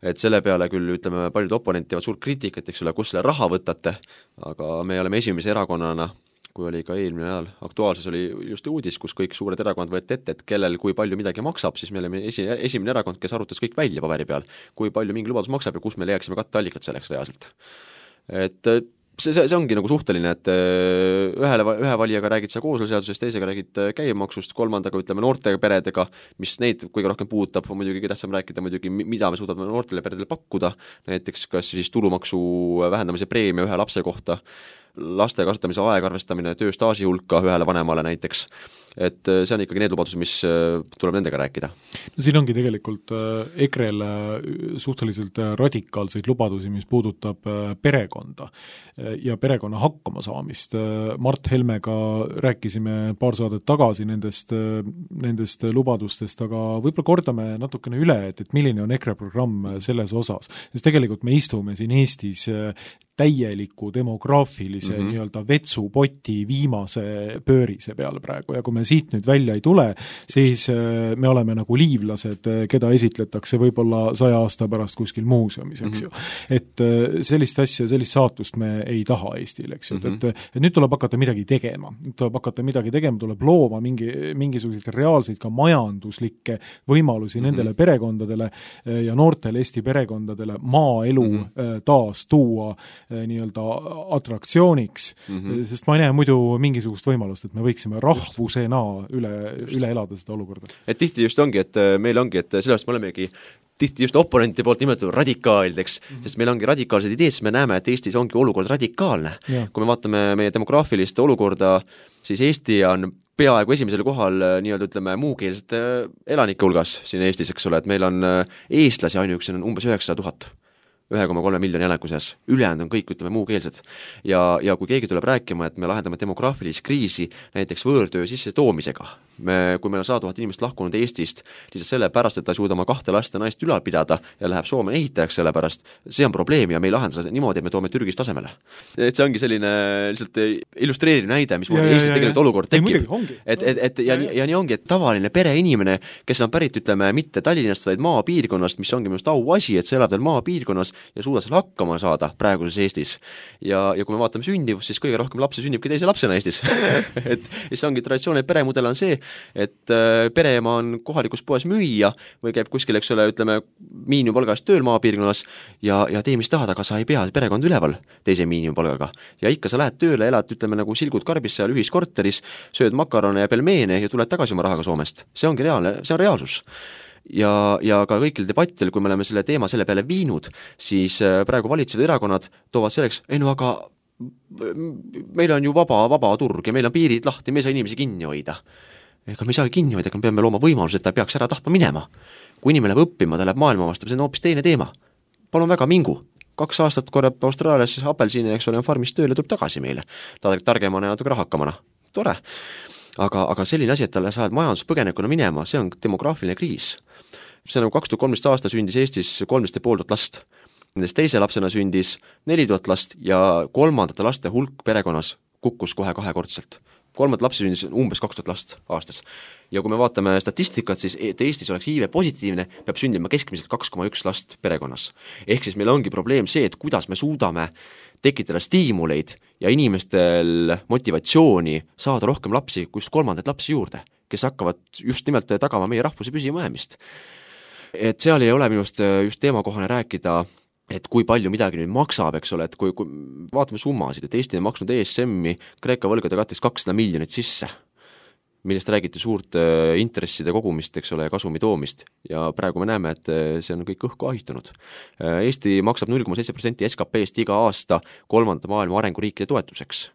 Et selle peale küll, ütleme, paljud oponenti teevad suurt kriitikat, eks ole, kus selle raha võtate, aga me oleme esimese erakonnana, kui oli ka eelmine ajal aktuaalses oli just uudis, kus kõik suured erakond võeti ette, et kellel kui palju midagi maksab, siis me oleme esimene erakond, kes arutas kõik välja paberi peal, kui palju mingi lubadus maksab ja kus me leiaksime katteallikat selleks reaalselt. Et see ongi nagu suhteline, et ühe valijaga räägid sa koosluseadusest, teisega räägid käibemaksust, kolmandaga, ütleme, noortega peredega, mis neid kõige rohkem puudutab, on muidugi tähtsam rääkida muidugi, mida me suudame noortele peredele pakkuda, näiteks kas siis tulumaksu vähendamise preemia ühe lapse kohta, laste kasvatamise aegarvestamine, tööstaaži hulka ühele vanemale näiteks, et see on ikkagi need lubadused, mis tuleb nendega rääkida. No siin ongi tegelikult EKRE-le suhteliselt radikaalseid lubadusi, mis puudutab perekonda ja perekonna hakkama saamist. Mart Helmega rääkisime paar saadet tagasi nendest lubadustest, aga võib-olla kordame natukene üle, et milline on EKRE programm selles osas. Sest tegelikult me istume siin Eestis täieliku demograafilise nii-öelda vetsupoti viimase pöörise peal praegu ja kui me siit nüüd välja ei tule, siis me oleme nagu liivlased, keda esitletakse võib-olla 100 aasta pärast kuskil muuseumis, eks ju. Et sellist asja, sellist saatust me ei taha Eestil, eks ju. Et nüüd tuleb hakata midagi tegema. Tuleb looma mingisuguseid reaalseid ka majanduslikke võimalusi nendele perekondadele ja noortele Eesti perekondadele maaelu taas tuua nii-öelda atraktsiooniks, sest ma ei näe muidu mingisugust võimalust, et me võiksime rahvusena üle elada seda olukorda. Et tihti just ongi, et meil ongi, et sellest me olemegi tihti just oponenti poolt nimetatud radikaalideks, sest meil ongi radikaalsed ideed, siis me näeme, et Eestis ongi olukord radikaalne. Kui me vaatame meie demograafilist olukorda, siis Eesti on peaaegu esimesel kohal nii-öelda ütleme muukeelsete elanike hulgas siin Eestis, eks ole, et meil on eestlasi ainuüksi on umbes 900 000. 1,3 miljoni elaniku seas, ülejäänud on kõik, ütleme, muukeelsed. Ja kui keegi tuleb rääkima, et me lahendame demograafilist kriisi näiteks võõrtöö sisse toomisega, kui meil on 100 000 inimest lahkunud Eestist, lihtsalt selle pärast, et ta suuda oma 2 last ja naist ülal pidada ja läheb Soome ehitajaks selle pärast, see on probleem ja me ei lahenda seda niimoodi, et me toome Türgist tasemele. Et see ongi selline lihtsalt illustreeriv näide, mis Eestis tegelikult olukord tekib. Ja nii ongi, et tavaline pereinimene, kes on pärit, ütleme, mitte Tallinnast, vaid maapiirkonnast, mis ongi minust auasi, et see elab veel maapiirkonnas ja suuda seal hakkama saada praeguses Eestis. Ja kui me vaatame sündivust, siis kõige rohkem lapsi sünnibki teise lapsena Eestis. Et see ongi traditsiooniline peremudel on see, et pereema on kohalikus poes müüa või käib kuskil, eks ole, ütleme, miinimumpalgast tööl maapiirkonnas ja tee mis tahad, aga sa ei pea perekond üleval teise miinimumpalgaga. Ja ikka sa lähed tööle, elad, ütleme, nagu silgud karbis seal ühiskorteris, sööd makarone ja pelmeene ja tuled tagasi oma rahaga Soomest. See ongi reaalne, see on reaalsus. Ja ka kõikil debattidel, kui me oleme selle teema selle peale viinud, siis praegu valitsevad erakonnad toovad selleks, aga meil on ju vaba turg ja meil on piirid lahti, me ei saa inimesi kinni hoida. Ega me ei saa kinni hoida, aga me peame looma võimaluse, et ta peaks ära tahtma minema. Kui inimene läheb õppima, ta läheb maailma vastu, see on hoopis teine teema. Palun väga, mingu. 2 aastat korjab Austraalias apelsine, eks ole, on farmist tööle, tuleb tagasi meile. Ta targemana ja natuke rahakamana. Tore. Aga selline asi, et talle saad majanduspõgenikuna minema, see on demograafiline kriis. See on 2013 aasta sündis Eestis 13,5 last. Nendest teise lapsena sündis 4000 last ja kolmandate laste hulk perekonnas kukkus kohe 2-kordselt. 3 lapsi sündis umbes 2000 last aastas. Ja kui me vaatame statistikat, siis et Eestis oleks iive positiivne, peab sündima keskmiselt 2,1 last perekonnas. Ehk siis meil ongi probleem see, et kuidas me suudame tekitada stiimuleid ja inimestel motivatsiooni saada rohkem lapsi, kus 3. lapsi juurde, kes hakkavad just nimelt tagama meie rahvuse püsimajäämist. Et seal ei ole minust just teemakohane rääkida, et kui palju midagi nüüd maksab, eks ole, et kui vaatame summasid, et Eesti on maksnud ESM-i Kreeka võlgade katteks 200 miljonit sisse, millest räägiti suurt intresside kogumist, eks ole, kasumi toomist ja praegu me näeme, et see on kõik õhku ahitunud. Eesti maksab 0,7% SKP-st iga aasta 3. maailma arenguriikide toetuseks.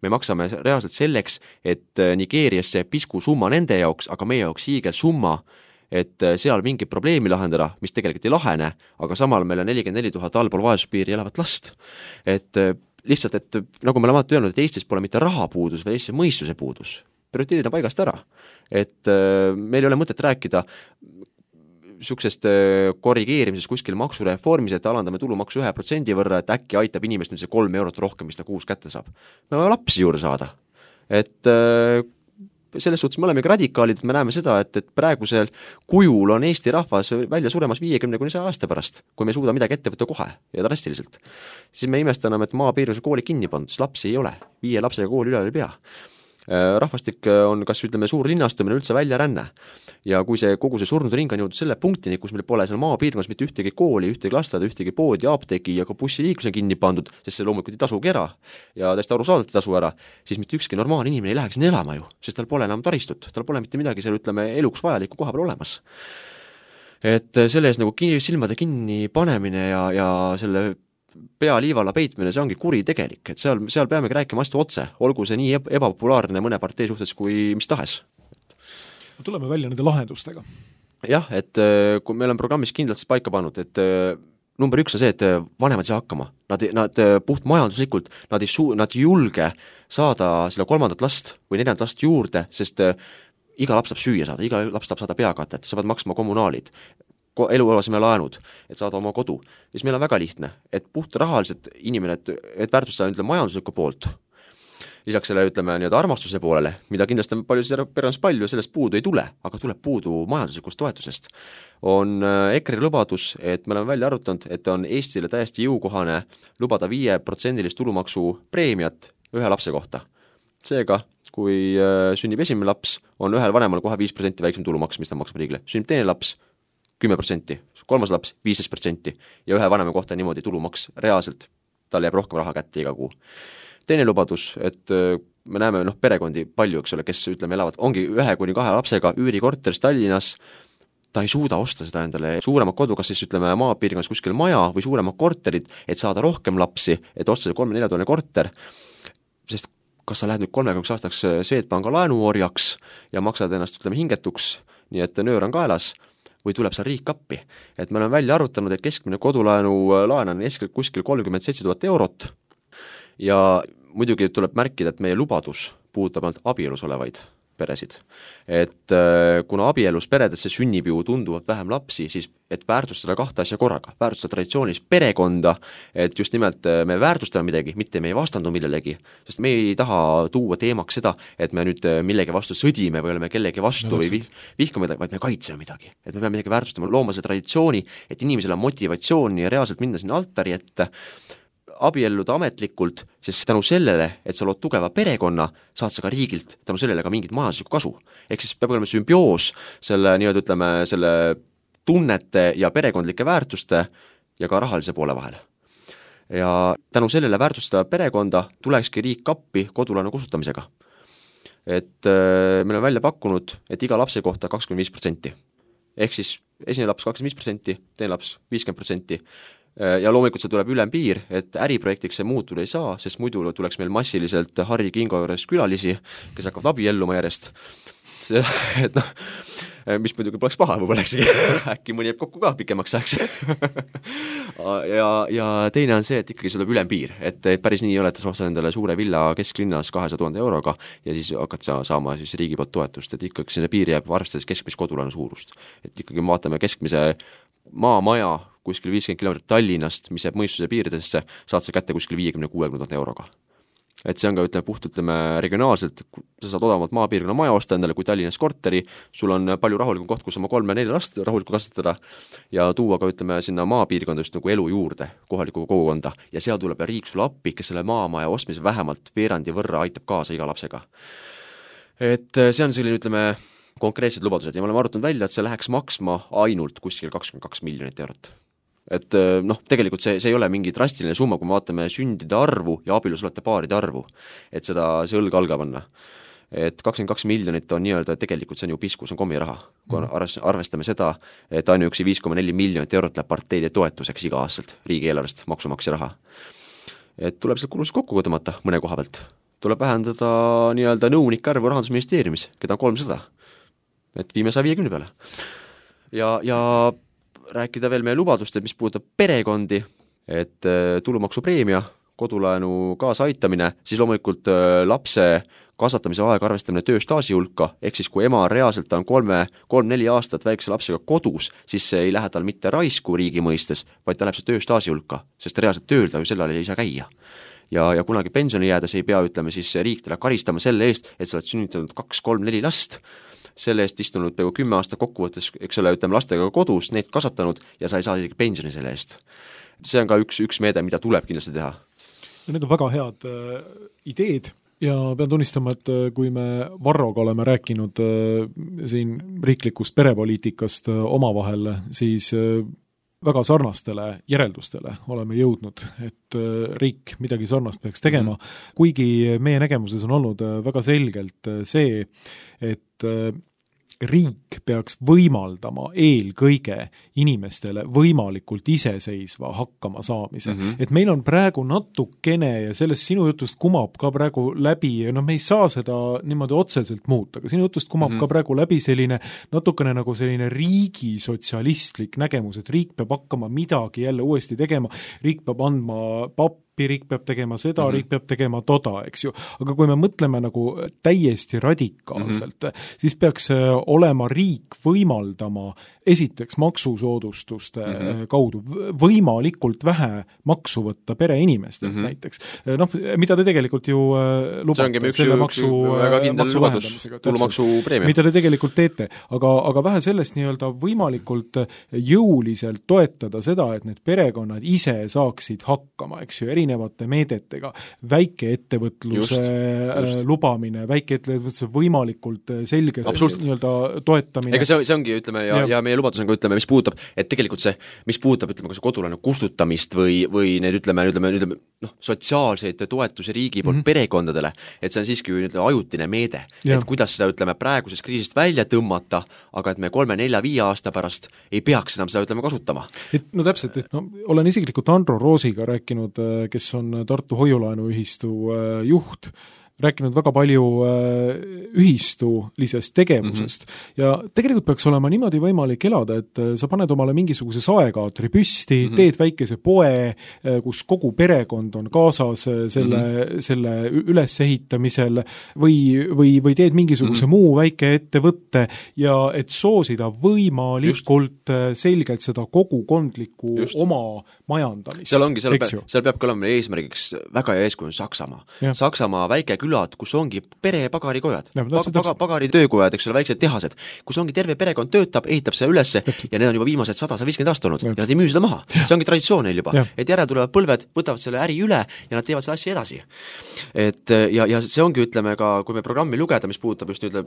Me maksame reaalselt selleks, et Nigeeriasse pisku summa nende jaoks, aga meie jaoks hiigel summa, et seal mingi probleemi lahendada, mis tegelikult ei lahene, aga samal meil on 44 000 allpool vaesuspiiri elavat last. Et lihtsalt, et nagu me oleme öelnud, et Eestis pole mitte rahapuudus, vaid Eestis mõistuse puudus. Prioriteerid on paigast ära. Et meil ei ole mõtet rääkida niisugusest korrigeerimisest kuskil maksureformis, et alandame tulumaksu 1% võrra, et äkki aitab inimest nüüd see 3 eurot rohkem, mis ta kuus kätte saab. Me oleme lapsi juurde saada. Et selles suhtes me oleme ka radikaalid, et me näeme seda, et praegusel kujul on Eesti rahvas välja suremas 50-100 aasta pärast, kui me ei suuda midagi ette võtta kohe ja drastiliselt. Siis me imestame, et maapiirkondades kooli kinni pandud, siis lapsi ei ole, 5 lapsega kooli üle ei pea. Rahvastik on kas ütleme suur linnastumine üldse välja ränne ja kui see kogu see surnud ring on jõudnud selle punktini, kus meil pole seal maapiirkonnas mitte ühtegi kooli, ühtegi lasteaeda, ühtegi poodi, apteegi ja ka bussiliiklus on kinni pandud, sest see loomulikult ei tasugi ära ja täiesti arusaadavalt ei tasu ära, siis mitte ükski normaalne inimene ei läheks sinna elama ju, sest tal pole enam taristut, tal pole mitte midagi seal ütleme eluks vajalikku koha peal olemas. Et selle ees nagu silmade kinni panemine ja selle pea liivalla peitmine, see ongi kuri tegelik, et seal peamegi rääkima astu otse, olgu see nii ebapopulaarne mõne partei suhtes kui mis tahes. Tuleme välja nende lahendustega. Jah, et kui meil on programmis kindlalt paika pannud, et number 1 on see, et vanemad ei saa hakkama. Nad puht majanduslikult, nad ei julge saada selle 3. last või 4. last juurde, sest iga laps saab süüa saada, iga laps saab saada peakatet, sa pead maksma kommunaalid. eluaseme laenud, et saada oma kodu, siis meil on väga lihtne, et puht rahaliselt inimene, et väärtustada ütleme majanduslikku poolt, lisaks selle ütleme nii-öelda armastuse poolele, mida kindlasti on perekonnas palju ja sellest puudu ei tule, aga tuleb puudu majanduslikust toetusest, on EKRE lubadus, et me oleme välja arutanud, et on Eestile täiesti jõukohane lubada 5% tulumaksu preemiat ühe lapse kohta. Seega, kui sünnib esimene laps, on ühel vanemal kohe 5% väiksem tulumaks, mis ta maksab riigile. Sünnib teine laps, 10%, kolmas laps 15% ja ühe vanema kohta niimoodi tulumaks reaalselt, tal jääb rohkem raha kätte iga kuu. Teine lubadus, et me näeme perekondi palju, eks ole, kes ütleme elavad, ongi 1-2 lapsega üürikorteris Tallinnas, ta ei suuda osta seda endale suuremat kodu, kas siis ütleme maapiirkonnas kuskil maja või suuremad korterid, et saada rohkem lapsi, et osta see 3-4 toone korter, sest kas sa lähed nüüd 30 aastaks Swedbanka laenuorjaks ja maksad ennast ütleme hingetuks, nii et nöör on kaelas, või tuleb seal riik appi. Et me oleme välja arutanud, et keskmine kodulaenu laen on kuskil 37 000 eurot ja muidugi tuleb märkida, et meie lubadus puudutab ainult abielus olevaid peresid. Et kuna abielus peredesse sünnib ju tunduvalt vähem lapsi, siis et väärtustada 2 asja korraga, väärtustada traditsioonilist perekonda, et just nimelt me väärtustame midagi, mitte me ei vastandu millelegi, sest me ei taha tuua teemaks seda, et me nüüd millegi vastu sõdime või oleme kellegi vastu või vihkame midagi, vaid me kaitseme midagi. Et me peame midagi väärtustama, looma selle traditsiooni, et inimesel on motivatsiooni ja reaalselt minna sinna altari ette, abielluda ametlikult, sest tänu sellele, et sa lood tugeva perekonna, saad sa ka riigilt tänu sellele ka mingit majanduslikku kasu. Ehk siis peab olema sümbioos selle, nii-öelda ütleme, selle tunnete ja perekondlike väärtuste ja ka rahalise poole vahel. Ja tänu sellele väärtustada perekonda tulekski riik appi kodulaenu kusutamisega. Et me oleme välja pakkunud, et iga lapse kohta 25%. Ehk siis esimene laps 25%, teine laps 50%. Ja loomulikult see tuleb ülempiir, et äriprojektiks see muutuda ei saa, sest muidu tuleks meil massiliselt Harri Kingo juures külalisi, kes hakkavad abielluma järjest. Et mis muidugi poleks paha, võib-olla äkki mõni jääb kokku ka pikemaks ajaks. ja teine on see, et ikkagi see tuleb ülempiir, et päris nii ei ole, et sa ostad endale suure villa kesklinnas 200 000 euroga ja siis hakkad sa saama siis riigi poolt toetust, et ikkagi selle piir jääb arvestades keskmist kodulaenu suurust. Et ikkagi vaatame keskmise maamaja kuskil 50 kilomeetrit Tallinnast, mis jääb mõistuse piiridesse, saad sa kätte kuskil 50-60 000 euroga. Et see on ka, ütleme, regionaalselt, sa saad odavamalt maapiirkonna maja osta endale kui Tallinnas korteri, sul on palju rahulikum koht, kus oma 3-4 last rahulikult kasvatada ja tuua ka, ütleme, sinna maapiirkonda just nagu elu juurde, kohaliku kogukonda ja seal tuleb riik sulle appi, kes selle maamaja ostmise vähemalt veerandi võrra aitab kaasa iga lapsega. Et see on selline, ütleme, konkreetsed lubadused ja me oleme arutanud välja, et see läheks maksma ainult kuskil 22 miljonit eurot. Et tegelikult see ei ole mingi drastiline summa, kui me vaatame sündide arvu ja abielus olete paaride arvu, et see õlg alga panna. Et 22 miljonit on nii-öelda, tegelikult see on ju pisku, see on kommiraha. Kui arvestame seda, et ainuüksi 5,4 miljonit eurot läheb parteide toetuseks iga aastalt riigieelarvest maksumaksja raha. Et tuleb seal kulusid kokku tõmmata mõne koha pealt. Tuleb vähendada nii-öelda nõunike arvu Rahandusministeeriumis, keda on 300. Et viime 150 peale. Ja rääkida veel meie lubadust, et mis puudutab perekondi, et tulumaksupreemia, kodulaenu kaasaitamine, siis loomulikult lapse kasvatamise aega arvestamine tööstaaži hulka, ehk siis kui ema reaalselt on 3-4 aastat väikse lapsega kodus, siis see ei lähe tal mitte raisku riigi mõistes, vaid ta läheb see tööstaaži hulka, sest reaalselt tööl ta ju sellal ei saa käia. Ja kunagi pensioni jäädes ei pea, ütleme siis riik talle karistama selle eest, et sa oled sünnitanud 2-3-4 last, selle eest istunud peaaegu 10 aasta kokkuvõttes, eks ole, ütleme lastega kodus, neid kasvatanud ja sa ei saa isegi pensioni selle eest. See on ka üks meede, mida tuleb kindlasti teha. Need on väga head ideed ja pean tunnistama, et kui me Varroga oleme rääkinud siin riiklikust perepoliitikast omavahel, siis väga sarnastele järeldustele oleme jõudnud, et riik midagi sarnast peaks tegema, kuigi meie nägemuses on olnud väga selgelt see, et riik peaks võimaldama eelkõige inimestele võimalikult iseseisva hakkama saamise. Et meil on praegu natukene ja sellest sinu jutust kumab ka praegu läbi, me ei saa seda niimoodi otseselt muuta, aga sinu jutust kumab ka praegu läbi selline natukene nagu selline riigi sotsialistlik nägemus, et riik peab hakkama midagi jälle uuesti tegema, riik peab andma appi, riik peab tegema seda, riik peab tegema toda, eks ju. Aga kui me mõtleme nagu täiesti radikaalselt, siis peaks olema riik võimaldama esiteks maksusoodustuste kaudu võimalikult vähe maksu võtta pereinimestelt näiteks. Noh, mida te tegelikult ju lubate selle maksu vähendamisega. Tulumaksupreemia. Mida te tegelikult teete, aga vähe sellest nii-öelda võimalikult jõuliselt toetada seda, et need perekonnad ise saaksid hakkama, eks ju, erinevate meedetega, väikeettevõtluse lubamine, väikeettevõtluse võimalikult selge nii-öelda toetamine. Ega see ongi, ütleme, ja meie lubadus on ka, ütleme, mis puudutab, et tegelikult see, mis puudutab, ütleme, kas kodulaenu kustutamist või need, ütleme, sotsiaalseid toetusi riigi poolt perekondadele, et see on siiski ajutine meede, et kuidas seda, ütleme, praegusest kriisist välja tõmmata, aga et me 3, 4, 5 aasta pärast ei peaks enam seda, ütleme, kasutama. No täpselt, et olen isiklikult Andro Roosiga rääkinud, kes on Tartu Hoiulaenuühistu juht, rääkinud väga palju ühistulisest tegevusest ja tegelikult peaks olema niimoodi võimalik elada, et sa paned omale mingisuguse saekaatri püsti, teed väikese poe, kus kogu perekond on kaasas selle ülesehitamisel või teed mingisuguse muu väike ettevõtte ja et soosida võimalikult selgelt seda kogukondlikku oma majandamist. Seal peabki olema eesmärgiks väga hea eeskuju Saksamaa. Saksamaa väike külad, kus ongi perepagarikojad, pagaritöökojad, eks ole, väiksed tehased, kus ongi terve perekond töötab, ehitab seda ülesse ja need on juba viimased 150 aastat olnud ja nad ei müü seda maha. See ongi traditsioon neil juba, et järel tulevad põlved, võtavad selle äri üle ja nad teevad selle asja edasi. Et, ja see ongi, ütleme ka, kui me programmi lugeda, mis puudutab just nüüd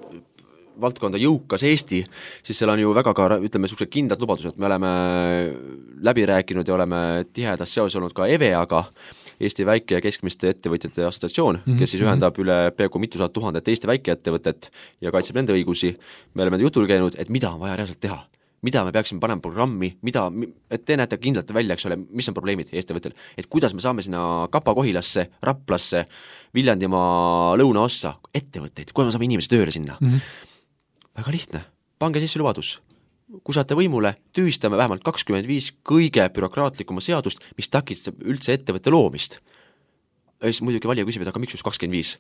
valdkonda jõukas Eesti, siis seal on ju väga ka, ütleme, sellised kindlad lubadused, me oleme läbi rääkinud ja oleme tihedas seoses olnud ka EVEA-ga, Eesti väike- ja keskmiste ettevõtjate assotsiatsioon, kes siis ühendab üle peaaegu mitusada tuhandet Eesti väikeettevõtet ja kaitseb nende õigusi. Me oleme jutul käinud, et mida on vaja reaalselt teha, mida me peaksime panema programmi, et te näete kindlalt välja, eks ole, mis on probleemid Eesti ettevõttel, et kuidas me saame sinna Kapa-Kohilasse, Raplasse, Viljandimaa lõunaossa ettevõtteid, kuidas me saame inimesi tööle sinna. Väga lihtne, pange sisse lubadus. Kui saate võimule, tühistame vähemalt 25 kõige bürokraatlikuma seadust, mis takistab üldse ettevõtte loomist. Ja siis muidugi valija küsib, et aga miks just 25?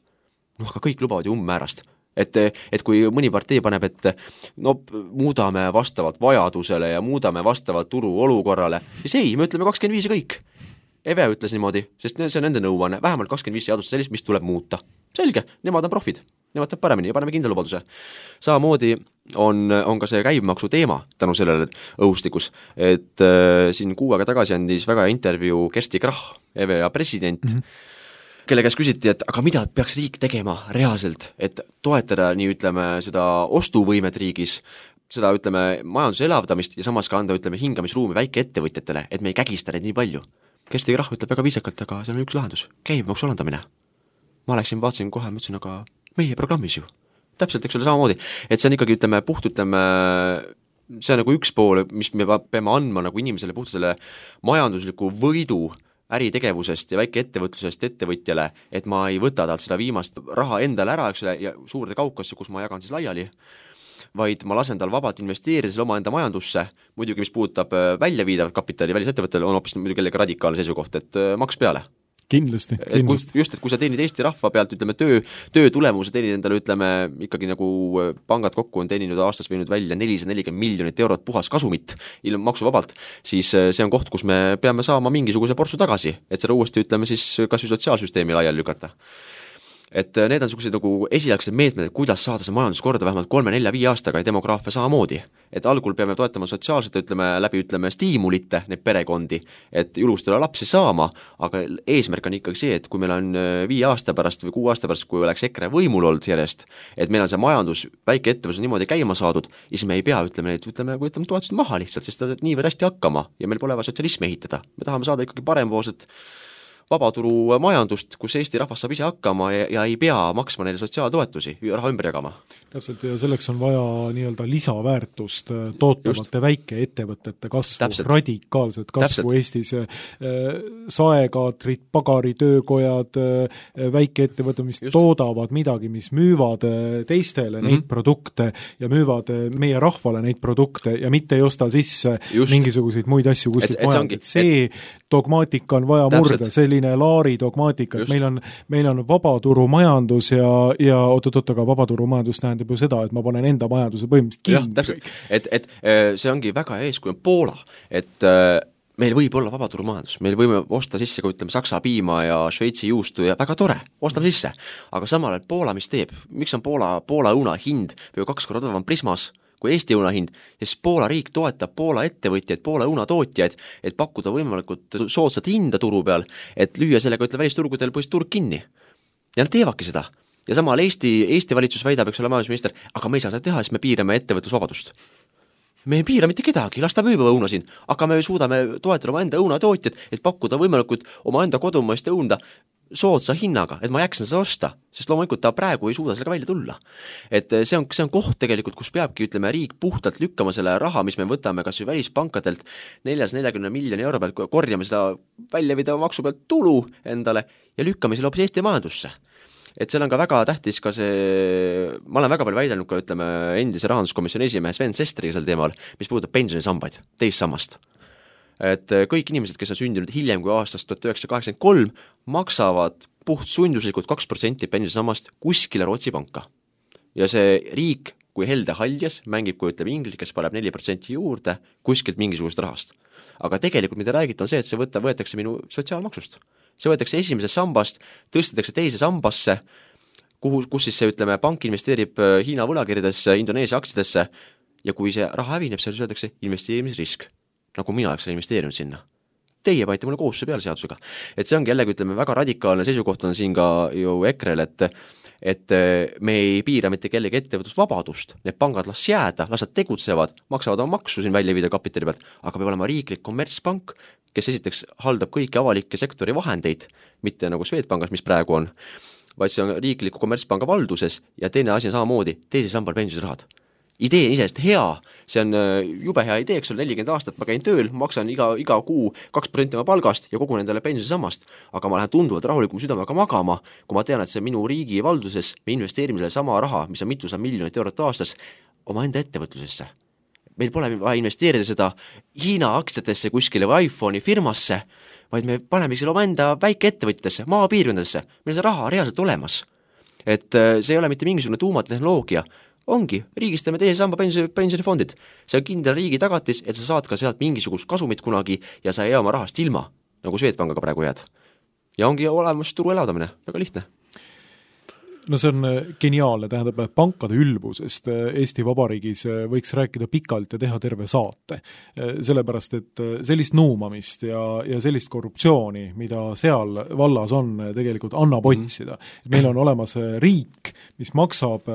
Aga kõik lubavad ju ummäärast. Et kui mõni partei paneb, et muudame vastavalt vajadusele ja muudame vastavalt turu olukorrale, siis ei, me ütleme 25 ja kõik. EVE ütles niimoodi, sest see on nende nõuanne, vähemalt 25 seadust sellist, mis tuleb muuta. Selge, nemad on profid, nemad teeb paremini ja paneme kindla lubaduse. Samamoodi on ka see käibemaksu teema tänu sellele õhustikus, et siin 6 aega tagasi andis väga intervjuu Kersti Krach, EVEA president, kelle käest küsiti, et aga mida peaks riik tegema reaalselt, et toetada nii, ütleme, seda ostuvõimet riigis, seda, ütleme, majanduse elavdamist ja samas ka anda, ütleme, hingamisruumi väikeettevõtjatele, et me ei kägista neid nii palju. Kersti Krach ütleb väga viisakalt, aga see on üks lahendus, käibemaksu alandamine. Ma vaatasin kohe, mõtlesin, aga meie programmis ju. Täpselt, eks ole, samamoodi. Et see on ikkagi, ütleme, see on nagu üks pool, mis me peame andma nagu inimesele puht selle majandusliku võidu äritegevusest ja väikeettevõtlusest ettevõtjale, et ma ei võta talt seda viimast raha endale ära, eks ole, ja suurde kaukasse, kus ma jagan siis laiali, vaid ma lasen tal vabalt investeerida selle oma enda majandusse, muidugi mis puudutab väljaviidavat kapitali välisettevõttele, on hoopis muidugi jällegi radikaalne seisukoht, et maks peale. Kindlasti. Just, et kui sa teenid Eesti rahva pealt, ütleme, töö tulemuse teenid endale, ütleme, ikkagi nagu pangad kokku on teeninud aastas võinud välja 440 miljonit eurot puhas kasumit ilma maksuvabalt, siis see on koht, kus me peame saama mingisuguse porsu tagasi, et seda uuesti, ütleme, siis kas või sotsiaalsüsteemi laiali lükata. Et need on sellised nagu esialgsed meetmed, kuidas saada see majandus korda vähemalt 3, 4, 5 aastaga ja demograafia samamoodi. Et algul peame toetama sotsiaalselt, läbi stiimulite need perekondi, et julustada lapsi saama, aga eesmärk on ikkagi see, et kui meil on 5 aasta pärast või 6 aasta pärast, kui oleks EKRE võimul olnud järjest, et meil on see majandus, väike ettevõtlus niimoodi käima saadud, siis me ei pea, ütleme toetused maha lihtsalt, sest ta niivõrd hästi hakkama ja meil pole vaja sotsialismi ehitada. Me tahame saada ikkagi parempoolset vabaturu majandust, kus Eesti rahvas saab ise hakkama ja ei pea maksma neile sotsiaaltoetusi, raha ümber jagama. Täpselt, ja selleks on vaja nii-öelda lisaväärtust tootavate väikeettevõtete kasvu, radikaalset kasvu Eestis, saekaatrid, pagaritöökojad, väikeettevõtted, mis toodavad midagi, mis müüvad teistele neid produkte ja müüvad meie rahvale neid produkte ja mitte ei osta sisse mingisuguseid muid asju kuskilt majalt. See dogmaatika on vaja murda, selline Laari dogmaatika, et meil on vabaturumajandus ja oot-oot, aga vabaturumajandus tähendab ju seda, et ma panen enda majanduse põhimõtteliselt kinni. Täpselt, et see ongi väga eeskuju Poola, et meil võib olla vabaturumajandus, meil võime osta sisse ka ütleme Saksa piima ja Šveitsi juustu ja väga tore, ostame sisse, aga samal ajal Poola mis teeb, miks on Poola õuna hind või 2 korda odavam Prismas kui Eesti õunahind, siis Poola riik toetab Poola ettevõtjaid, Poola õunatootjaid, et pakkuda võimalikult soodsat hinda turu peal, et lüüa sellega välisturgudel põhiliselt turg kinni. Ja nad teevadki seda. Ja samal Eesti valitsus väidab, eks ole, majandusminister, aga me ei saa seda teha, siis me piirame ettevõtlusvabadust. Me ei piira mitte kedagi, las ta müüb õuna siin, aga me suudame toetada oma enda õunatootjad, et pakkuda võimalikult oma enda kodumaist õunda soodsa hinnaga, et ma jääksin seda osta, sest loomulikult ta praegu ei suuda sellega välja tulla. Et see on koht tegelikult, kus peabki, ütleme, riik puhtalt lükkama selle raha, mis me võtame kas või välispankadelt 440 miljoni euro pealt, korjame seda väljavida maksu pealt tulu endale ja lükkame selle hoopis Eesti majandusse. Et seal on ka väga tähtis ka see, ma olen väga palju väidelnud ka, ütleme, endise rahanduskomisjoni esimehe Sven Sesteriga sel teemal, mis puudutab pensionisambaid, teist sammast. Et kõik inimesed, kes on sündinud hiljem kui aastast 1983, maksavad puht sunduslikult 2% pensionisammast kuskile Rootsi panka. Ja see riik, kui helde haljas, mängib, kui ütleme inglis, kes paneb 4% juurde kuskilt mingisugust rahast. Aga tegelikult, mida räägiti, on see, et see võetakse minu sotsiaalmaksust. See võetakse esimesest sambast, tõstetakse teise sambasse, kus siis see, ütleme, pank investeerib Hiina võlakirjadesse, Indoneesia aktsiatesse ja kui see raha hävineb, seal öeldakse investeerimisrisk. Nagu mina oleks investeerinud sinna. Teie panite mulle kohustuse peale seadusega. Et see ongi jällegi, ütleme, väga radikaalne seisukoht on siin ka ju EKRE-l, et me ei piira mitte kellegi ettevõtlusvabadust, need pangad las jääda, las nad tegutsevad, maksavad oma maksu siin välja viida kapitali pealt, aga peab olema riiklik kommertspank, kes esiteks haldab kõiki avalikke sektori vahendeid, mitte nagu Swedbankis, mis praegu on, vaid see on riikliku kommertspanga valduses ja teine asi on samamoodi, teise sambal pensionsrahad. Idee on isest hea, see on jube hea idee, eks ole, 40 aastat ma käin tööl, maksan iga kuu 2% oma palgast ja kogun endale pensionisammast, aga ma lähen tunduvalt rahulikum südamega magama, kui ma tean, et see minu riigi valduses me investeerime selle sama raha, mis on mitusada miljonit eurot aastas, oma enda ettevõtlusesse. Meil pole vaja investeerida seda Hiina aktsiatesse kuskile või iPhone'i firmasse, vaid me paneme selle oma enda väikeettevõtjatesse, maapiirkondadesse, meil see raha reaalselt olemas. Et see ei ole mitte mingisugune tuumatehnoloogia, ongi, riigistame teise samba pensionifondid. See on kindel riigi tagatis, et sa saad ka sealt mingisugust kasumit kunagi ja sa ei jää oma rahast ilma, nagu Swedbankaga praegu jääd. Ja ongi olemas turu elavdamine, väga lihtne. No see on geniaalne, tähendab, pankade ülbusest Eesti Vabariigis võiks rääkida pikalt ja teha terve saate. Sellepärast, et sellist nuumamist ja sellist korruptsiooni, mida seal vallas on, tegelikult annab otsida. Meil on olemas riik, mis maksab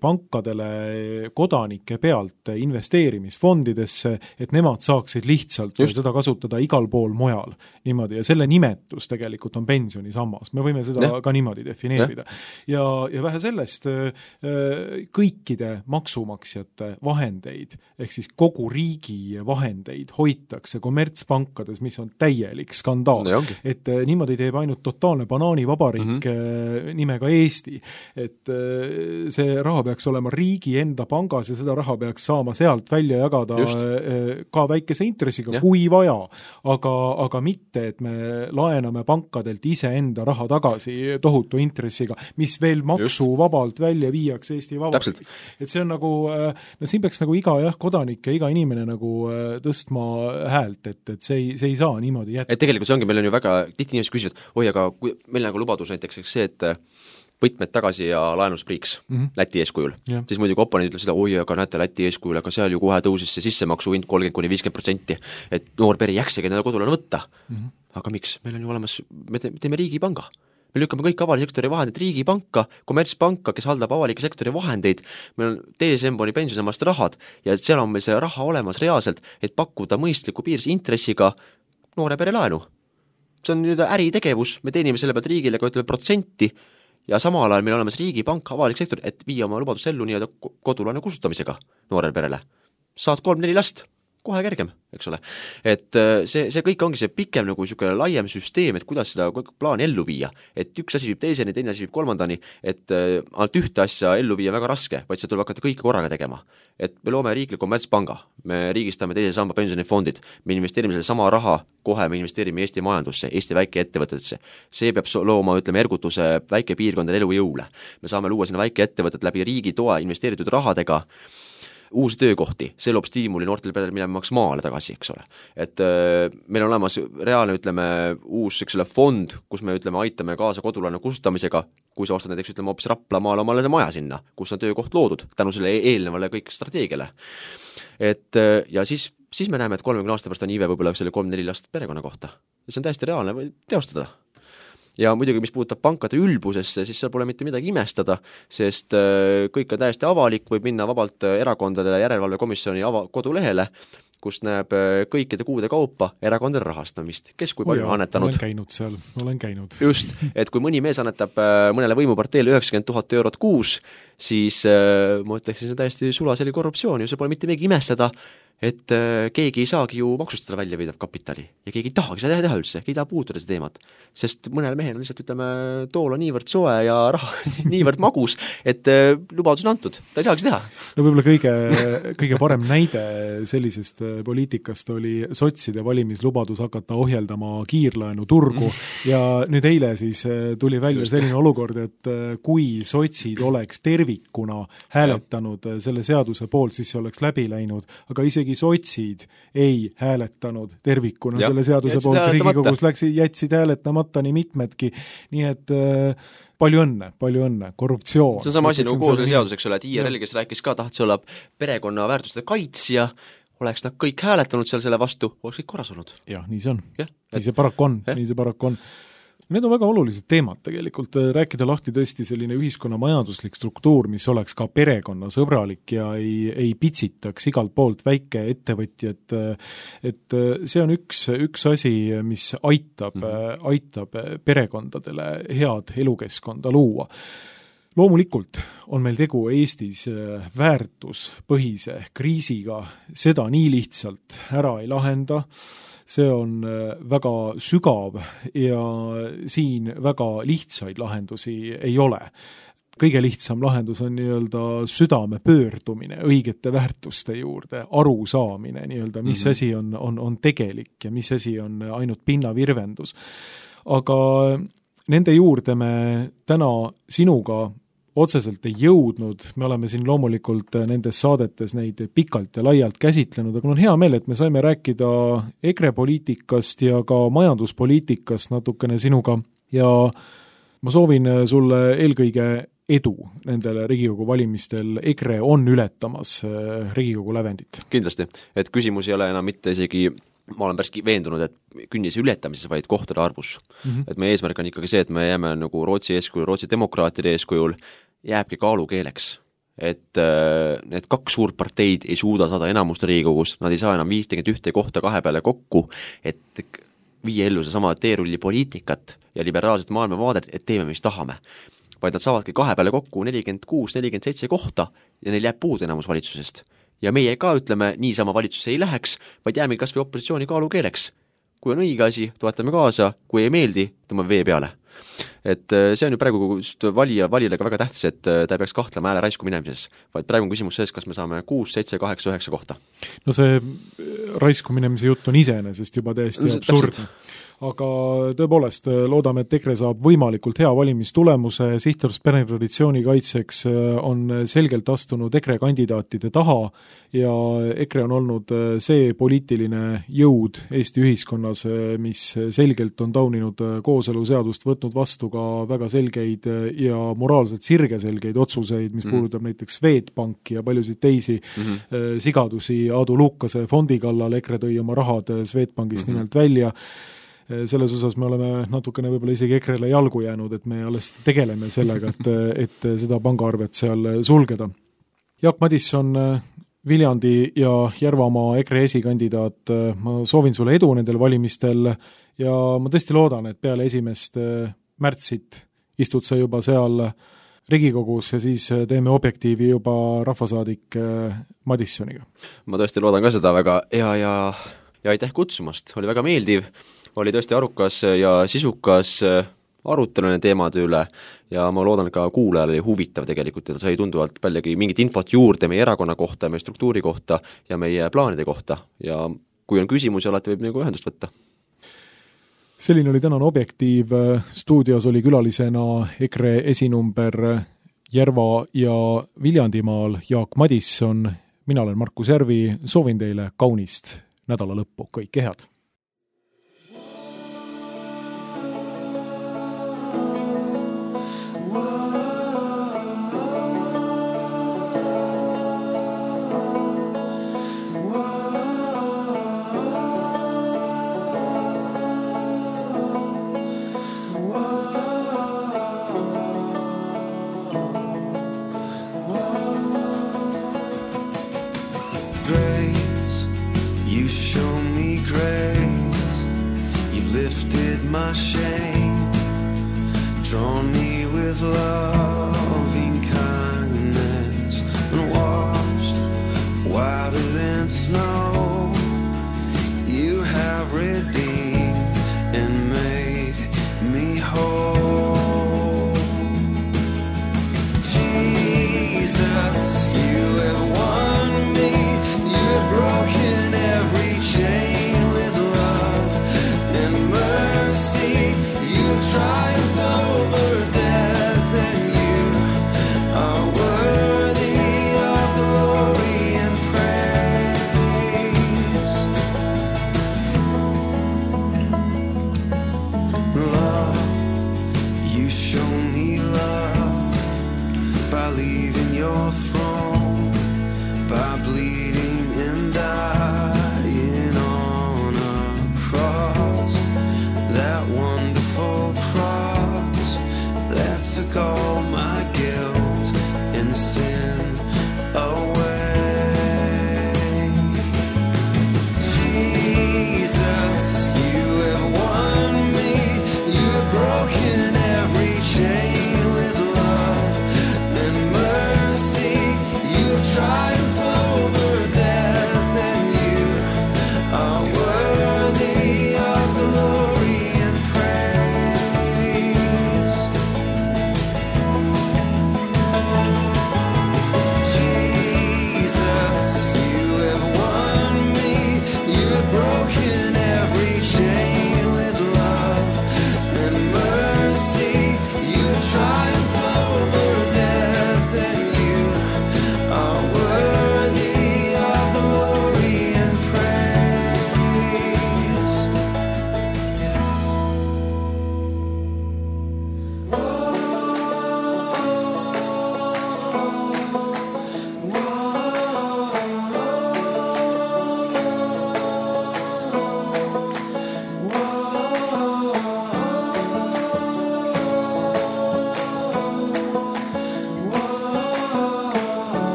pankadele kodanike pealt investeerimisfondidesse, et nemad saaksid lihtsalt seda kasutada igal pool mujal. Niimoodi. Ja selle nimetus tegelikult on pensionisammas. Me võime seda ka niimoodi defineerida. Ja vähe sellest, kõikide maksumaksjate vahendeid, ehk siis kogu riigi vahendeid hoitakse kommertspankades, mis on täielik skandaal. Et niimoodi teeb ainult totaalne banaanivabariik nimega Eesti. Et see raha peaks olema riigi enda pangas ja seda raha peaks saama sealt välja jagada ka väikese intressiga, kui vaja. Aga mitte, et me laename pankadelt iseenda raha tagasi tohutu intressiga, mis veel maksuvabalt välja viiaks Eesti Vabariigist. Et see on nagu, siin peaks nagu iga kodanik ja iga inimene nagu tõstma häält, et see ei saa niimoodi jätta. Et tegelikult see ongi, meil on ju väga, tihti inimesed küsivad, aga kui meil nagu lubadus näiteks see, et võtmed tagasi ja laenuspriiks Läti eeskujul, siis muidugi oponendid ütlevad seda, aga näete Läti eeskujul, aga seal ju kohe tõusis see sissemaksu hind 30–50%, et noor pere jäksegi nende kodulane võtta. Aga miks? Meil on ju olemas, me teeme riigipanga. Me lükkame kõik avaliku sektori vahendid riigipanka, kommertspanka, kes haldab avalike sektori vahendeid, meil on DSM-boni pensionisammast rahad ja seal on meil see raha olemas reaalselt, et pakkuda mõistliku piirs intressiga noore pere laenu. See on nüüd äritegevus, me teenime selle pealt riigile ka ütleme protsenti ja samal ajal meil olemas riigipank, avalik sektor, et viia oma lubadust ellu nii-öelda kodulaenu kustutamisega noorele perele. Saad 3-4 last, kohe kergem, eks ole. Et see kõik ongi see pikem nagu niisugune laiem süsteem, et kuidas seda plaani ellu viia. Et üks asi viib teiseni, teine asi viib kolmandani, et ainult ühte asja ellu viia väga raske, vaid see tuleb hakata kõike korraga tegema. Et me loome riikliku kommertspanga, me riigistame teise samba pensionifondid, me investeerime selle sama raha, kohe me investeerime Eesti majandusse, Eesti väikeettevõtetesse. See peab looma, ütleme, ergutuse väikepiirkondade elujõule. Me saame luua sinna väikeettevõtet läbi riigi toe investeeritud rahadega, uusi töökohti, see loob stiimuli noortele peredele minema maale tagasi, eks ole. Et meil on olemas reaalne, ütleme, uus fond, kus me, ütleme, aitame kaasa kodulaenu kustutamisega, kui sa ostad näiteks, ütleme, hoopis Raplamaale omale maja sinna, kus on töökoht loodud, tänu selle eelnevale kõik strateegiale. Et ja siis me näeme, et 30 aasta pärast on iive võib-olla selle 3-4 last perekonna kohta. Ja see on täiesti reaalne teostada. Ja muidugi, mis puudutab pankade ülbusesse, siis seal pole mitte midagi imestada, sest kõik on täiesti avalik, võib minna vabalt erakondade järelevalvekomisjoni kodulehele, kus näeb kõikide kuude kaupa erakondade rahastamist, kes kui palju annetanud. Olen käinud. Just, et kui mõni mees annetab mõnele võimuparteile 90 000 eurot kuus, siis ma ütleksin, see on täiesti sulaseli korruptsioon, ju see pole mitte midagi imestada, et keegi ei saagi ju maksustada välja viidav kapitali ja keegi ei tahagi seda teha üldse, keegi ei taha puutuda seda teemat, sest mõnel mehel on lihtsalt, ütleme, tool on niivõrd soe ja raha niivõrd magus, et lubadus on antud, ta ei saagi teha. No võib-olla kõige parem näide sellisest poliitikast oli sotside valimislubadus hakata ohjeldama kiirlaenu turgu ja nüüd eile siis tuli välja selline olukord, et kui sotsid oleks tervikuna hääletanud selle seaduse poolt, siis see oleks läbi läinud, aga isegi sotsid ei hääletanud tervikuna selle seaduse poolt. Riigikogus jätsid hääletamata nii mitmedki, nii et palju õnne, korruptsioon. See on sama asi nagu koos seadus, eks ole, et IRL, kes rääkis ka, tahtis olla perekonna väärtuste kaitsja, oleks nad kõik hääletanud seal selle vastu, oleks kõik korras olnud. Jah, nii see on. Nii see paraku on. Need on väga olulised teemad tegelikult, rääkida lahti tõesti selline ühiskonna majanduslik struktuur, mis oleks ka perekonnasõbralik ja ei pitsitaks igalt poolt väike ettevõtjad, et see on üks asi, mis aitab perekondadele head elukeskkonda luua. Loomulikult on meil tegu Eestis väärtuspõhise kriisiga, seda nii lihtsalt ära ei lahenda, see on väga sügav ja siin väga lihtsaid lahendusi ei ole. Kõige lihtsam lahendus on nii-öelda südame pöördumine õigete väärtuste juurde, arusaamine nii-öelda, mis asi on tegelik ja mis asi on ainult pinnavirvendus. Aga nende juurde me täna sinuga otseselt ei jõudnud, me oleme siin loomulikult nendes saadetes neid pikalt ja laialt käsitlenud, aga on hea meel, et me saime rääkida EKRE poliitikast ja ka majanduspoliitikast natukene sinuga ja ma soovin sulle eelkõige edu nendele Riigikogu valimistel. EKRE on ületamas Riigikogu lävendit. Kindlasti, et küsimus ei ole enam mitte isegi, ma olen päris veendunud, et künnise ületamises, vaid kohtade arvus. Et meie eesmärk on ikkagi see, et me jääme nagu Rootsi eeskujul, Rootsi demokraatide eeskujul, jääbki kaalukeeleks. Et need kaks suurt parteid ei suuda saada enamust Riigikogus, nad ei saa enam 51 kohta kahe peale kokku, et viia ellu see sama teerulli poliitikat ja liberaalset maailmavaadet, et teeme, mis tahame. Vaid nad saavadki kahe peale kokku 46-47 kohta ja neil jääb puudu enamus valitsusest. Ja meie ka ütleme, niisama valitsusse ei läheks, vaid jääme kas või opositsiooni kaalukeeleks. Kui on õige asi, toetame kaasa, kui ei meeldi, tõmbame vee peale. Et see on ju praegu valijale ka väga tähtis, et ta ei peaks kahtlema hääle raisku minemises, vaid praegu on küsimus sees, kas me saame 6, 7, 8, 9 kohta. No see raisku minemise jutt on iseenesest juba täiesti absurdne. Aga tõepoolest loodame, et EKRE saab võimalikult hea valimistulemuse, Sihtrahvus peretraditsiooni kaitseks on selgelt astunud EKRE kandidaatide taha ja EKRE on olnud see poliitiline jõud Eesti ühiskonnas, mis selgelt on tauninud kooseluseadust, võtnud vastu ka väga selgeid ja moraalselt sirgeselgeid otsuseid, mis puudutab näiteks Swedbanki ja paljusid teisi sigadusi Aadu Luukase fondi kallal, EKRE tõi oma rahad Swedbankist nimelt välja. Selles osas me oleme natukene võib-olla isegi EKRE-le jalgu jäänud, et me alles tegeleme sellega, et seda pangaarvet seal sulgeda. Jaak Madisson, Viljandi ja Järvamaa EKRE esikandidaat, ma soovin sulle edu nendel valimistel ja ma tõesti loodan, et peale 1. märtsit istud sa juba seal Riigikogus ja siis teeme Objektiivi juba rahvasaadik Madissoniga. Ma tõesti loodan ka seda väga ja aitäh kutsumast, oli väga meeldiv, oli tõesti arukas ja sisukas aruteluline teemade üle ja ma loodan ka kuulajale oli huvitav tegelikult, et sai tunduvalt paljagi mingit infot juurde meie erakonna kohta, meie struktuuri kohta ja meie plaanide kohta ja kui on küsimusi, alati võib nagu ühendust võtta. Selline oli tänane Objektiiv, stuudios oli külalisena EKRE esinumber Järva ja Viljandimaal Jaak Madisson, mina olen Markus Järvi, soovin teile kaunist nädala lõppu, kõike head! My shame, drawn me with loving kindness and washed whiter than snow. You have redeemed and made me whole. Jesus, you have won me, you have broken every chain with love and mercy. Triumphed over death, and you are worthy of glory and praise. Love, you show me love by leaving your throne, by bleeding and dying on a cross. That wonderful cross that took all my guilt and sin away. Jesus, you have won me, you have broken every chain with love and mercy. You have triumphed over death, and you are worthy of glory and praise.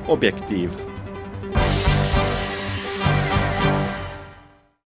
Objektiiv